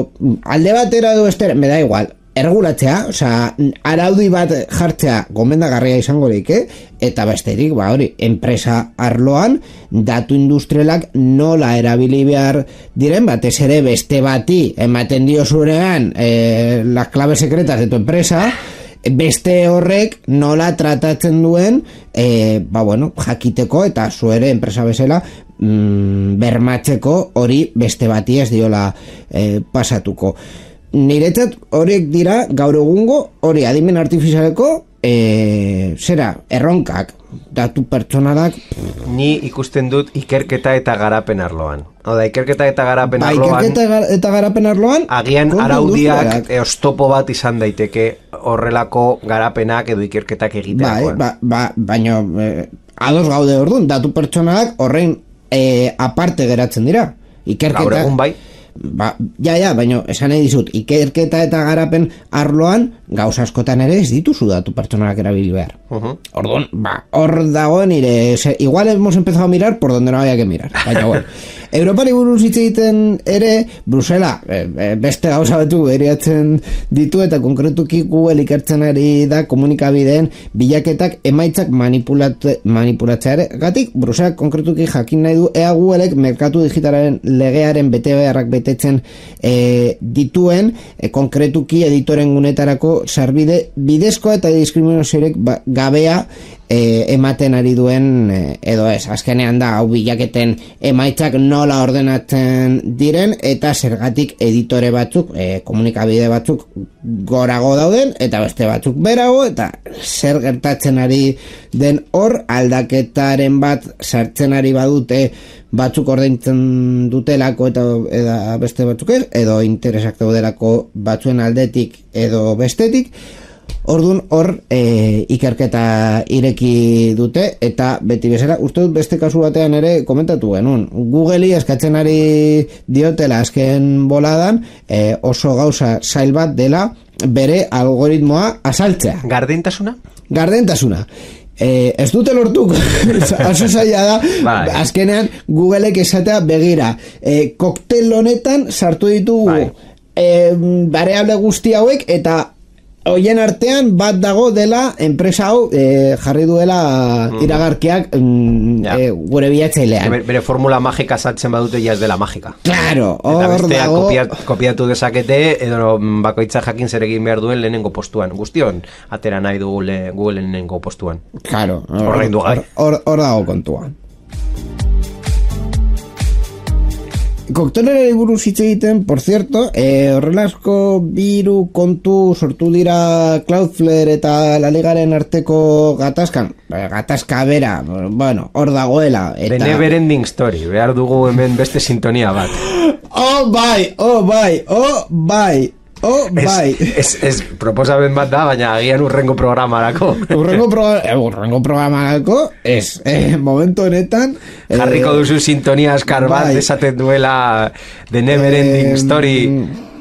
alde batera edo estera, me da igual erregulatzea, osea, araudi bat jartzea gomendagarria izango like, eta besterik, ba hori, enpresa arloan datu industrialak nola erabili behar diren, batez ere beste bati ematen dio zurean eh, las claves secretas de tu empresa, beste horrek nola tratatzen duen eh, ba bueno, jakiteko eta zuere enpresa bezala mm, bermatzeko hori beste bati ez diola eh, pasatuko. Niretzat horiek dira gaur egungo hori adimen artifizialeko e, zera, erronkak, datu pertsonalak... Ni ikusten dut ikerketa eta garapen arloan. Hau da, ikerketa eta garapen ba, arloan... Ikerketa eta garapen arloan... Agian araudiak e, oztopo bat izan daiteke horrelako garapenak edo ikerketak egiterakoan. Bai, ba, ba, baina eh, ados gaude orduan, datu pertsonalak horrein eh, aparte geratzen dira. Ikerketa... Gaur egun bai. Ba, ja, ja, baina esan nahi dizut, ikerketa eta garapen arloan gauza askotan ere ez dituzu datu pertsonalak erabili behar. Uh-huh. Orduan, ba, hor dago nire, se, igual hemos empezado a mirar por donde no había que mirar. Baina, bueno, Europari buruz hitz egiten ere, Brusela, e, e, beste gauza batu eriatzen ditu eta konkretuki Google ikertzen ari da komunikabideen bilaketak emaitzak manipulatzeare gatik, Brusela konkretuki jakin nahi du ea Googleek merkatu digitalaren legearen bete beharrak betetzen e, dituen, e, konkretuki editoren gunetarako sarbide bidezkoa eta diskriminaziorik ba, gabea e, ematen ari duen e, edo ez, azkenean da hau bilaketen emaitzak nola ordenatzen diren eta zergatik editore batzuk e, komunikabide batzuk gorago dauden eta beste batzuk berago eta zer gertatzen ari den hor aldaketaren bat sartzen ari badute batzuk ordaintzen dutelako eta, eta beste batzuk ez, edo interesak daudelako batzuen aldetik edo bestetik. Orduan hor e, ikerketa ireki dute eta beti bezala, uste dut beste kasu batean ere komentatu genuen. Google'i eskatzen ari diotela azken boladan e, oso gauza zail bat dela bere algoritmoa azaltzea. Gardentasuna? Gardentasuna. Eh, ez dute lortuko oso zaila da bai. Azkenean Googleek esatea begira eh, koktel honetan sartu ditugu bai. eh, variable guzti hauek eta hoien artean bat dago dela enpresa hau eh, jarri duela mm. iragarkiak mm, ja. eh, gure bilatzailean. Bere, bere formula magika saltzen badute ja ez dela magika. Claro, hor dago. Eta bestea dago... kopiat, kopiatu dezakete edo bakoitza jakin zer egin behar duen lehenengo postuan. Guztion atera nahi dugu le, Google lehenengo postuan. Claro, hor, hor, hor, hor dago kontua. Koktelerari buruz hitz egiten, por cierto, eh, horrelazko biru kontu sortu dira Cloudflare eta La Ligaren arteko gatazkan, gatazka bera, bueno, hor dagoela. Eta... The Never Ending Story, behar dugu hemen beste sintonia bat. Oh, bai, oh, bai, oh, bai. Oh, bai. Ez, ez, ez proposamen bat da, baina agian urrengo programarako. urrengo, pro, eh, urrengo programarako, ez, eh, momentu honetan... Eh, jarriko duzu sintonia askar bat, bai. Esaten duela The Never Ending eh, Story...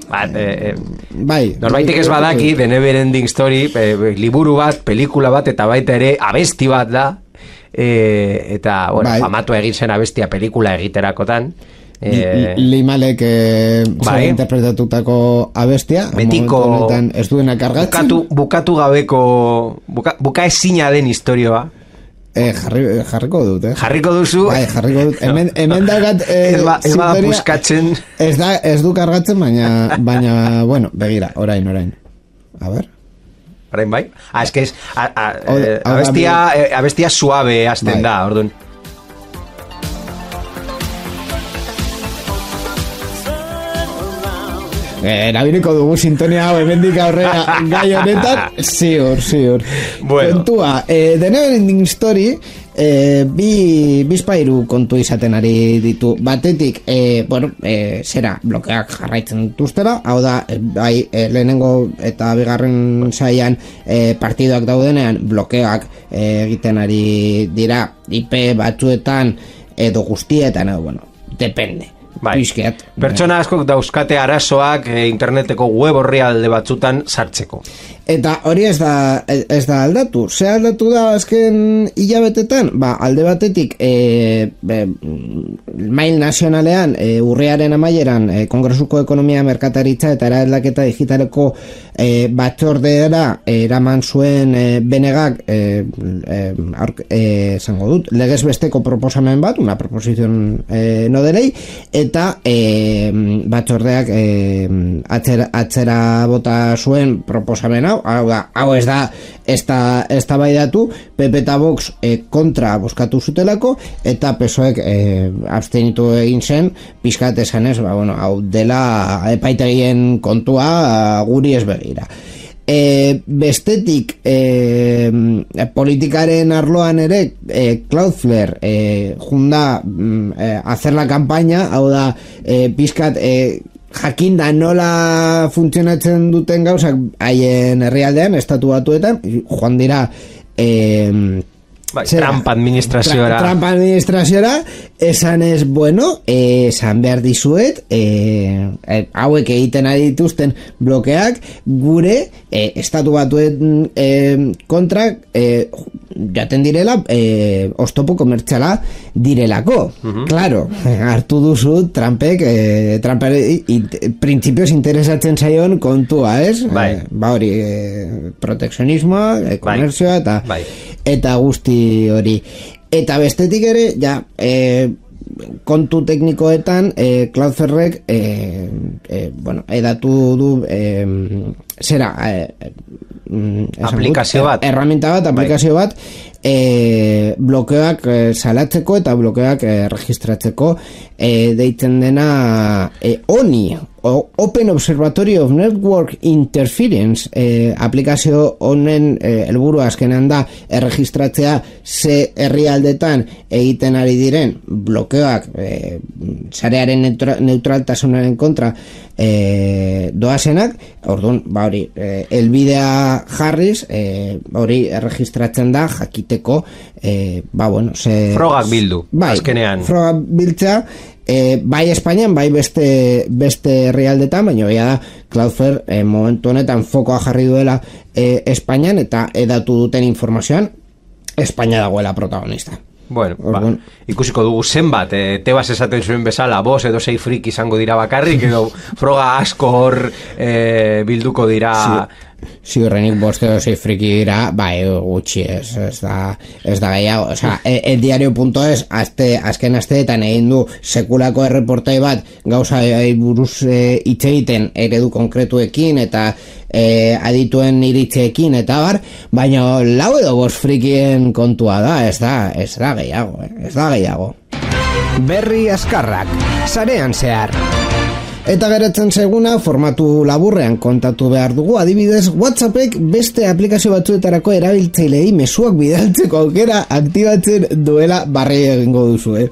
Bat, eh, eh, bai. Norbaitek ez badaki, The Never Ending Story, eh, liburu bat, pelikula bat, eta baita ere abesti bat da, eh, eta, bueno, bai. Famatu egin zen abestia pelikula egiterakotan, Eh, Limalek eh, bai. interpretatutako abestia betiko ez duena kargatzen bukatu, bukatu gabeko buka, buka ezina den historioa eh, jarri, jarriko dut eh? jarriko duzu bai, jarriko dut hemen, hemen dagat eh, ez ba, ez ba buskatzen ez, da, ez du kargatzen baina, baina bueno, begira, orain, orain a ber orain bai? Ah, es que es a, a, eh, abestia, eh, abestia suave azten bai. Da, orduan erabiliko dugu sintonia hau hemendik aurrera gai honetan, ziur, ziur. Bueno. Kontua, eh, The Never Ending Story eh, bi bizpairu kontu izaten ari ditu. Batetik, eh, bueno, eh, zera blokeak jarraitzen dituztera, hau da, eh, bai, eh, lehenengo eta bigarren saian eh, partidoak daudenean blokeak eh, egiten ari dira I P batzuetan edo guztietan, edo, bueno, depende. Bai. Pertsona askok dauzkate arazoak e, interneteko web orrialde batzutan sartzeko. Eta hori ez da, ez da aldatu. Ze aldatu da azken hilabetetan? Ba, alde batetik e, be, mail nazionalean e, urriaren amaieran e, Kongresuko Ekonomia Merkataritza eta Eraldaketa Digitaleko e, batzordera e, eraman zuen e, benegak e, e, e, zango dut, legez besteko proposamen bat, una proposición e, no de ley, eta e, batzordeak e, atzera, atzera bota zuen proposamen hau, hau da, hau ez da ez da, ez da baidatu, P P eta Vox e, kontra boskatu zutelako, eta P S O Ek e, abstenitu egin zen, pixkat esanez, ba, bueno, hau dela epaitegien kontua guri ez begira. E, bestetik e, politikaren arloan ere e, Cloudflare e, junda e, hacer la campaña, hau da e, pizkat e, jakinda nola funtzionatzen duten gauzak haien herrialdean, estatu batuetan, joan dira e, Bai, Trump administraziora Tra, Trump administraziora esan ez, bueno, eh, esan behar dizuet eh, eh, hauek egiten ari dituzten blokeak gure eh, estatu batuen eh, kontra eh, jaten direla eh, oztopo komertziala direlako. Uh-huh. Claro, hartu duzu Trumpek eh, Trumpek printzipioz interesatzen zaion kontua, ez? Bai. Eh, ba hori, eh, protekzionismoa, eh, komerzioa eta bai. eta guzti hori. Eta bestetik ere, ja, e, kontu teknikoetan, e, Cloudflarek, e, e, bueno, edatu du, e, zera, e, aplikazio bat. Erraminta bat, aplikazio bat, e, blokeoak e, salatzeko eta blokeoak e, registratzeko e, deitzen dena e, O N I, o Open Observatory of Network Interference, e, aplikazio honen e, helburu azkenean da erregistratzea ze herrialdetan egiten ari diren blokeoak e, sarearen neutra, neutraltasunaren kontra e, doazenak. Orduan, ba hori, e, elbidea jarriz, e, hori erregistratzen da jakiteko, e, ba bueno, ze, frogak bildu, bai, azkenean frogak biltzea, e, bai Espainian, bai beste beste herrialdetan, baina bai da Cloudflare e, momentu honetan fokoa jarri duela e, Espainian, eta edatu duten informazioan Espainia dagoela protagonista. Bueno, ba, ikusiko dugu zenbat, e, tebas esaten zuen bezala, bos edo sei frik izango dira bakarrik, edo froga asko hor e, bilduko dira. Ziurrenik boste edo sei friki dira, bai, gutxi ez, ez da, ez da gehiago. O sea, el diario punto es, azte, azken asteetan egin du sekulako erreportai bat, gauza buruz hitz e, egiten eredu konkretuekin eta e, adituen iritzeekin eta bar, baina lau edo bost frikien kontua da, ez da, ez da gehiago, eh? ez da gehiago. Berri azkarrak, sarean zehar. Eta geratzen seguna, formatu laburrean kontatu behar dugu, adibidez, WhatsAppek beste aplikazio batzuetarako erabiltzailei mezuak bidaltzeko aukera aktibatzen duela barri egingo duzu, eh?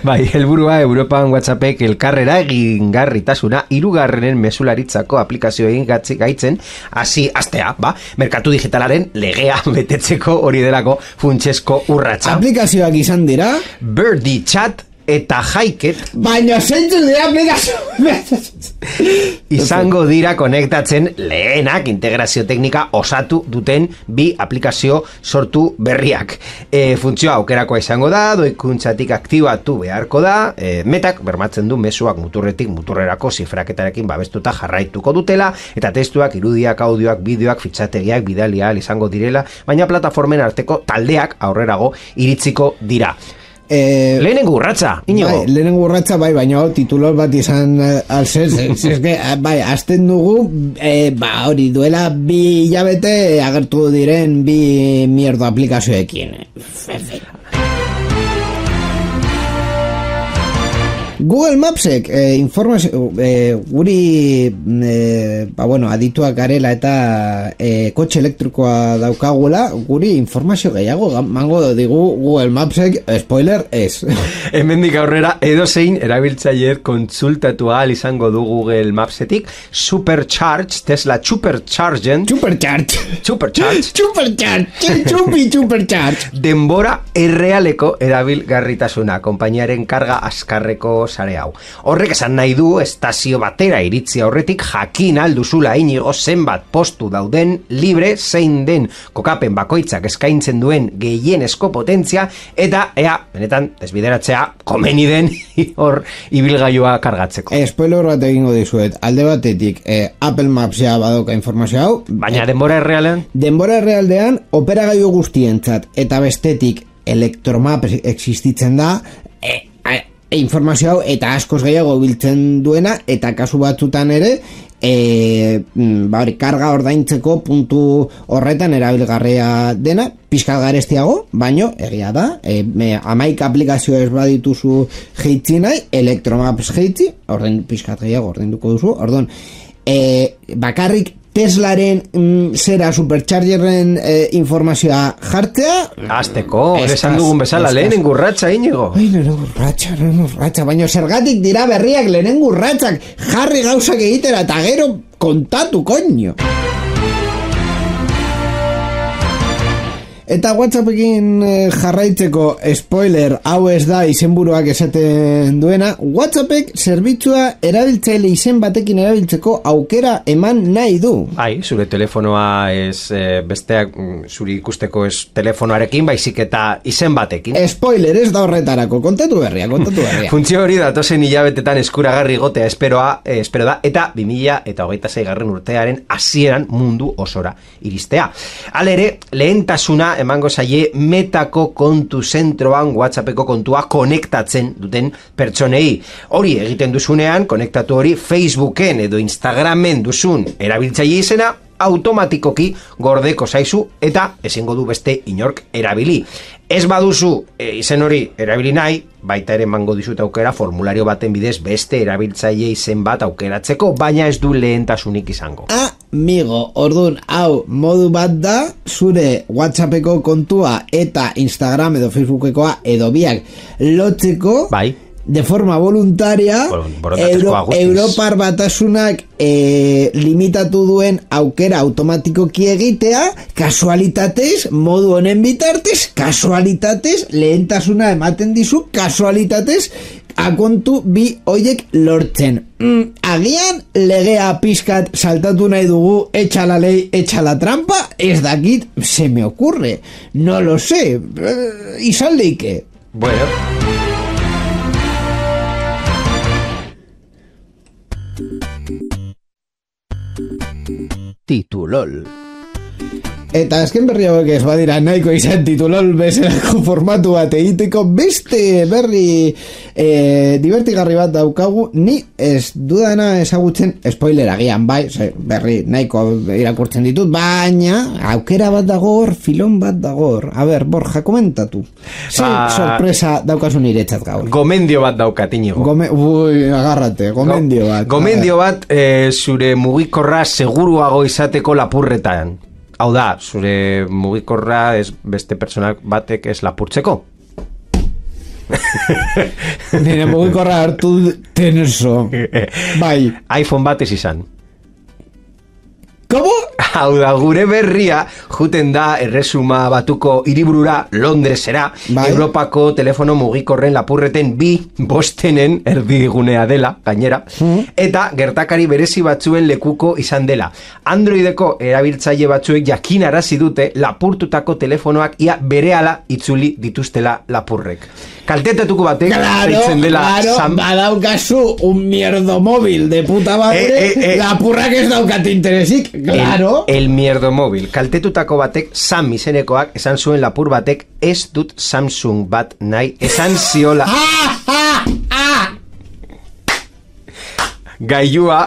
Bai, helburua Europan WhatsAppek elkarrera egingarritasuna hirugarrenen mezularitzako aplikazio egin gaitzen, hasi astea, ba, merkatu digitalaren legea betetzeko hori delako funtsezko urratsa. Aplikazioak izan dira Birdie Chat eta Haiket, baina zeintzuk dira aplikazio izango dira konektatzen lehenak integrazio teknika osatu duten bi aplikazio sortu berriak. E, funtzioa aukerakoa izango da, doikuntzatik aktibatu beharko da, e, metak bermatzen du mezuak muturretik muturrerako zifraketarekin babestuta jarraituko dutela, eta testuak, irudiak, audioak, bideoak, fitxategiak bidalia izango direla, baina plataformen arteko taldeak aurrerago iritziko dira. Eh, lehenengo urratza, Iñigo. Bai, lehenengo urratza, bai, baina titulor bat izan uh, alzez, eske, bai, azten dugu, eh, ba, hori duela bi hilabete agertu diren bi mierdo aplikazioekin. Google Mapsek eh, informazio eh, guri eh, ba bueno, adituak garela eta eh, kotxe elektrikoa daukagula, guri informazio gehiago mango digu Google Mapsek, spoiler ez. Hemendik aurrera edozein erabiltzaileek kontsultatu ahal izango du Google Mapsetik Supercharge, Tesla Superchargen Supercharge Supercharge Supercharge Chupi Supercharge denbora errealeko erabilgarritasuna, konpainiaren karga azkarreko sare hau. Horrek esan nahi du estazio batera iritzi aurretik jakin alduzula Inigo zenbat postu dauden libre zein den kokapen bakoitzak eskaintzen duen gehienezko potentzia eta ea, benetan, desbideratzea komeni den hor ibilgailua kargatzeko. Eh, spoiler bat egingo dizuet, alde batetik eh, Apple Maps ja badoka informazio hau. Baina denbora errealean? Denbora errealdean operagailu guztientzat eta bestetik Electromap existitzen da, eh, eh, informazio hau eta askoz gehiago biltzen duena, eta kasu batzutan ere e, ba hori, karga ordaintzeko puntu horretan erabilgarria dena, pixka garestiago, baino egia da, e, hamaika aplikazio ez badituzu jeitzi nahi, Electromaps jeitzi, ordain pixka gehiago ordainduko duzu, orduan e, bakarrik Teslaren mm, zera superchargerren eh, informazioa jartzea. Azteko, esan dugun bezala, lehenen gurratxa, Inigo. Ai, lehenen gurratxa, lehenen gurratxa, baina zergatik dira berriak lehenen gurratxak, jarri gauzak egitera, eta gero kontatu, koño. Eta WhatsAppekin eh, jarraitzeko spoiler, hau ez da izenburuak esaten duena, WhatsAppek zerbitzua erabiltzaile izen batekin erabiltzeko aukera eman nahi du. Ai, zure telefonoa ez eh, besteak zuri ikusteko ez telefonoarekin, baizik eta izen batekin. Spoiler, ez da horretarako, kontatu berria, kontatu berria. Funtzio hori datozen hilabetetan eskuragarri gotea esperoa, eh, espero da, eta bi mila eta hogeita seigarren urtearen hasieran mundu osora iristea. Halere, lehentasuna emango zaie Metako kontu zentroan WhatsAppeko kontua konektatzen duten pertsonei. Hori egiten duzunean, konektatu hori Facebooken edo Instagramen duzun erabiltzaile izena automatikoki gordeko zaizu eta ezingo du beste inork erabili. Ez baduzu e, izen hori erabili nahi, baita ere emango dizut aukera formulario baten bidez beste erabiltzaile izen bat aukeratzeko, baina ez du lehentasunik izango. Amigo, ordun, hau modu bat da, zure WhatsAppeko kontua eta Instagram edo Facebookekoa edo biak lotzeko, bai, de forma voluntaria, Euro, Europar Batasunak e, limitatu duen aukera automatikoki egitea, kasualitatez, modu honen bitartez, kasualitatez, lehentasuna ematen dizu, kasualitatez, akontu bi hoiek lortzen. Mm, agian legea pizkat saltatu nahi dugu, echa la ley, echa la trampa, ez dakit, se me ocurre, no lo sé, eh, izan leike. Bueno. Titulol. Eta azken berri hauek ez badira nahiko izan titulol bezalako formatu bat egiteko beste berri e, divertigarri bat daukagu, ni ez dudana ezagutzen, spoiler agian bai, berri nahiko irakurtzen ditut, baina aukera bat dagor, filon bat dagor. A ber, Borja, komentatu. Ze ba, sorpresa daukasun iretzat gaur. Gomendio bat daukat, Inigo. Gome, ui, agarrate, gomendio bat. Gomendio bat e, zure mugikorra seguruago izateko lapurretan. Hau da, zure mugikorra ez beste pertsonak batek ez lapurtzeko. Nire mugikorra hartu tenso. Bai. iPhone bat ez izan. Komo? Hau da, gure berria juten da erresuma batuko hiriburura Londresera, bai. Europako telefono mugikorren lapurreten bi bostenen erdigunea dela, gainera, mm. eta gertakari berezi batzuen lekuko izan dela. Androideko erabiltzaile batzuek jakinarazi dute lapurtutako telefonoak ia berehala itzuli dituztela lapurrek. Kaltetatuko batek zeitzen dela claro, sam... badaukazu un mierdo móvil de puta madre, eh, eh, eh. lapurrak ez daukat interesik, claro. El, el mierdo móvil. Kaltetutako batek, Sam izenekoak, esan zuen lapur batek, ez dut Samsung bat nahi, esan ziola. Gailua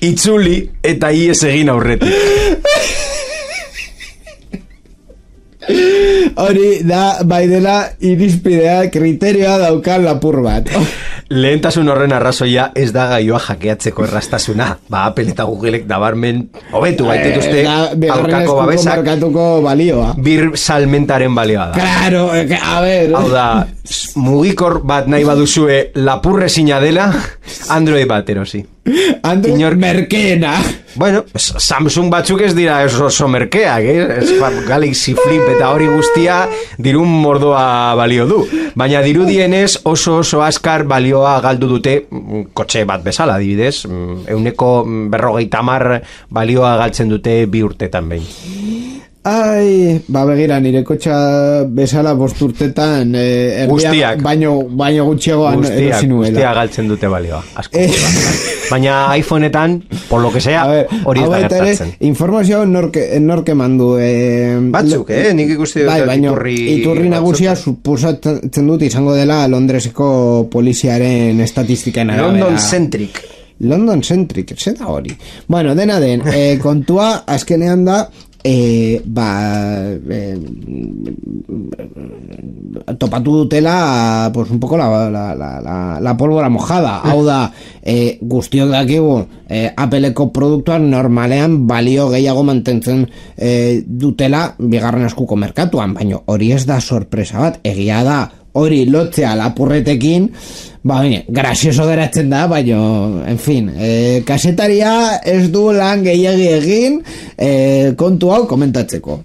itzuli eta ies egin aurretik. Hori da, bai dela irizpidea, kriterioa daukan lapur bat. Lehentasun horren arrazoia ez da gaioa jakeatzeko errastasuna. Ba, Apple eta Googleek dabarmen hobetu baitituzte aurkako babesak. Markatuko balioa. Bir salmentaren balioa da. Claro, a ver. Hau da, mugikor bat nahi baduzue lapurrezina dela, Android bat erosi. Android Inor... merkeena. Bueno, Samsung batzuk ez dira oso merkeak, eh? Galaxy Flip eta hori guztia dirun mordoa balio du. Baina dirudienez oso oso askar balioa galdu dute kotxe bat bezala, adibidez. Euneko berrogeita hamar balioa galtzen dute bi urtetan behin. Ai, ba begira, nire kotxa bezala bost urtetan eh, guztiak, baino, baino gutxiagoan guztiak, guztiak galtzen dute balioa asko. Eh. Baina iPhoneetan, por lo que sea, hori ez da gertatzen. Informazio norke, norke mandu eh, batzuk, eh? Nik ikusti dut, bai, baino, iturri, iturri nagusia suposatzen dut izango dela Londreseko poliziaren estatistiken arabera. London Centric London Centric, zer da hori? Bueno, dena den, eh, kontua azkenean da e, ba e, topatu dutela pues un poco la, la, la, la, la pólvora mojada. Hau da, e, guztiok dakigu e, Appleko produktuan normalean balio gehiago mantentzen e, dutela bigarren eskuko merkatuan, baina hori ez da sorpresa bat, egia da hori lotzea lapurretekin, ba, bine, grazioso geratzen da, baina, en fin, e, kasetaria ez du lan gehiagi egin e, kontu hau komentatzeko.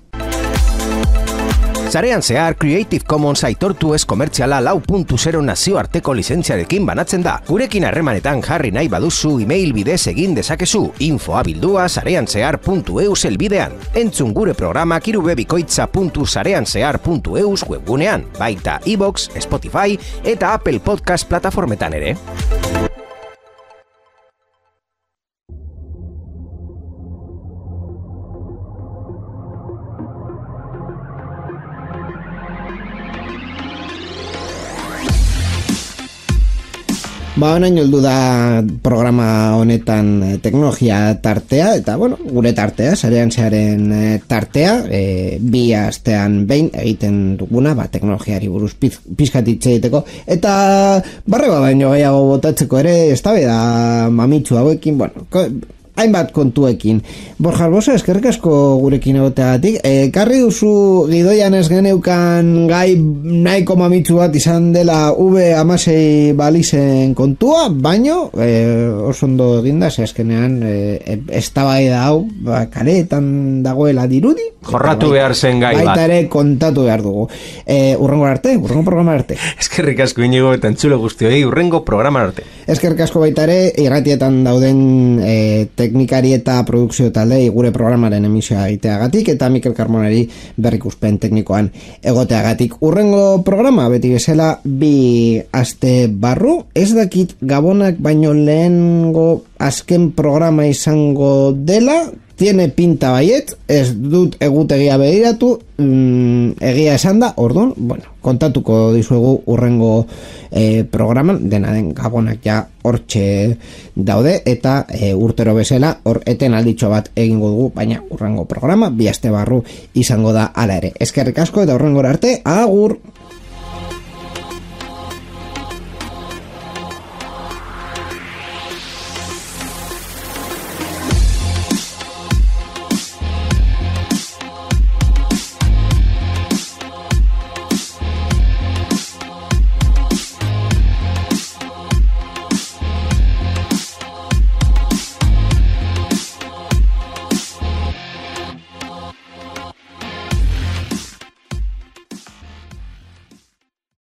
Sarean zehar Creative Commons aitortu ez komertziala lau puntu zero nazioarteko lizentziarekin banatzen da. Gurekin harremanetan jarri nahi baduzu email bidez egin dezakezu info abildua sareanzehar puntu eus elbidean. Entzun gure programak irubebikoitza puntu sareanzehar puntu eus webgunean, baita iVoox, Spotify eta Apple Podcast plataformetan ere. Ba, honaino heldu da programa honetan teknologia tartea, eta, bueno, gure tartea, sarean zearen tartea, e, bi astean behin egiten duguna, ba, teknologiari buruz piz, pizkatitze egiteko, eta barrego baino gehiago botatzeko ere, ez da beda mamitsu hauekin, bueno, ko, hainbat kontuekin. Borja Arbosa, eskerrik asko gurekin egoteagatik. E, karri duzu gidoian ez geneukan gai nahiko mamitsu bat izan dela V hamasei balizen kontua, baino e, oso ondo eginda, ze azkenean e, eztabaida hau ba, kareetan dagoela dirudi. Jorratu behar zen gai bat. Baita ere kontatu behar dugu. E, urrengo arte, urrengo programa arte. Eskerrik asko Inigo eta entzule guztioi, urrengo programa arte. Eskerrik asko baita ere, irratietan dauden e, teknikari eta produkzio taldei gure programaren emisioa egiteagatik eta Mikel Carmonari berrikuspen teknikoan egoteagatik. Urrengo programa, beti bezala, bi aste barru, ez dakit Gabonak baino lehengo azken programa izango dela, tiene pinta baiet, ez dut egutegia begiratu, mm, egia esan da, orduan, bueno, kontatuko dizuegu urrengo eh, programan, dena den Gabonak ja hortxe daude, eta e, urtero bezala, hor eten alditxo bat egingo dugu, baina urrengo programa, bi aste barru izango da ala ere. Eskerrik asko eta urrengora arte, agur!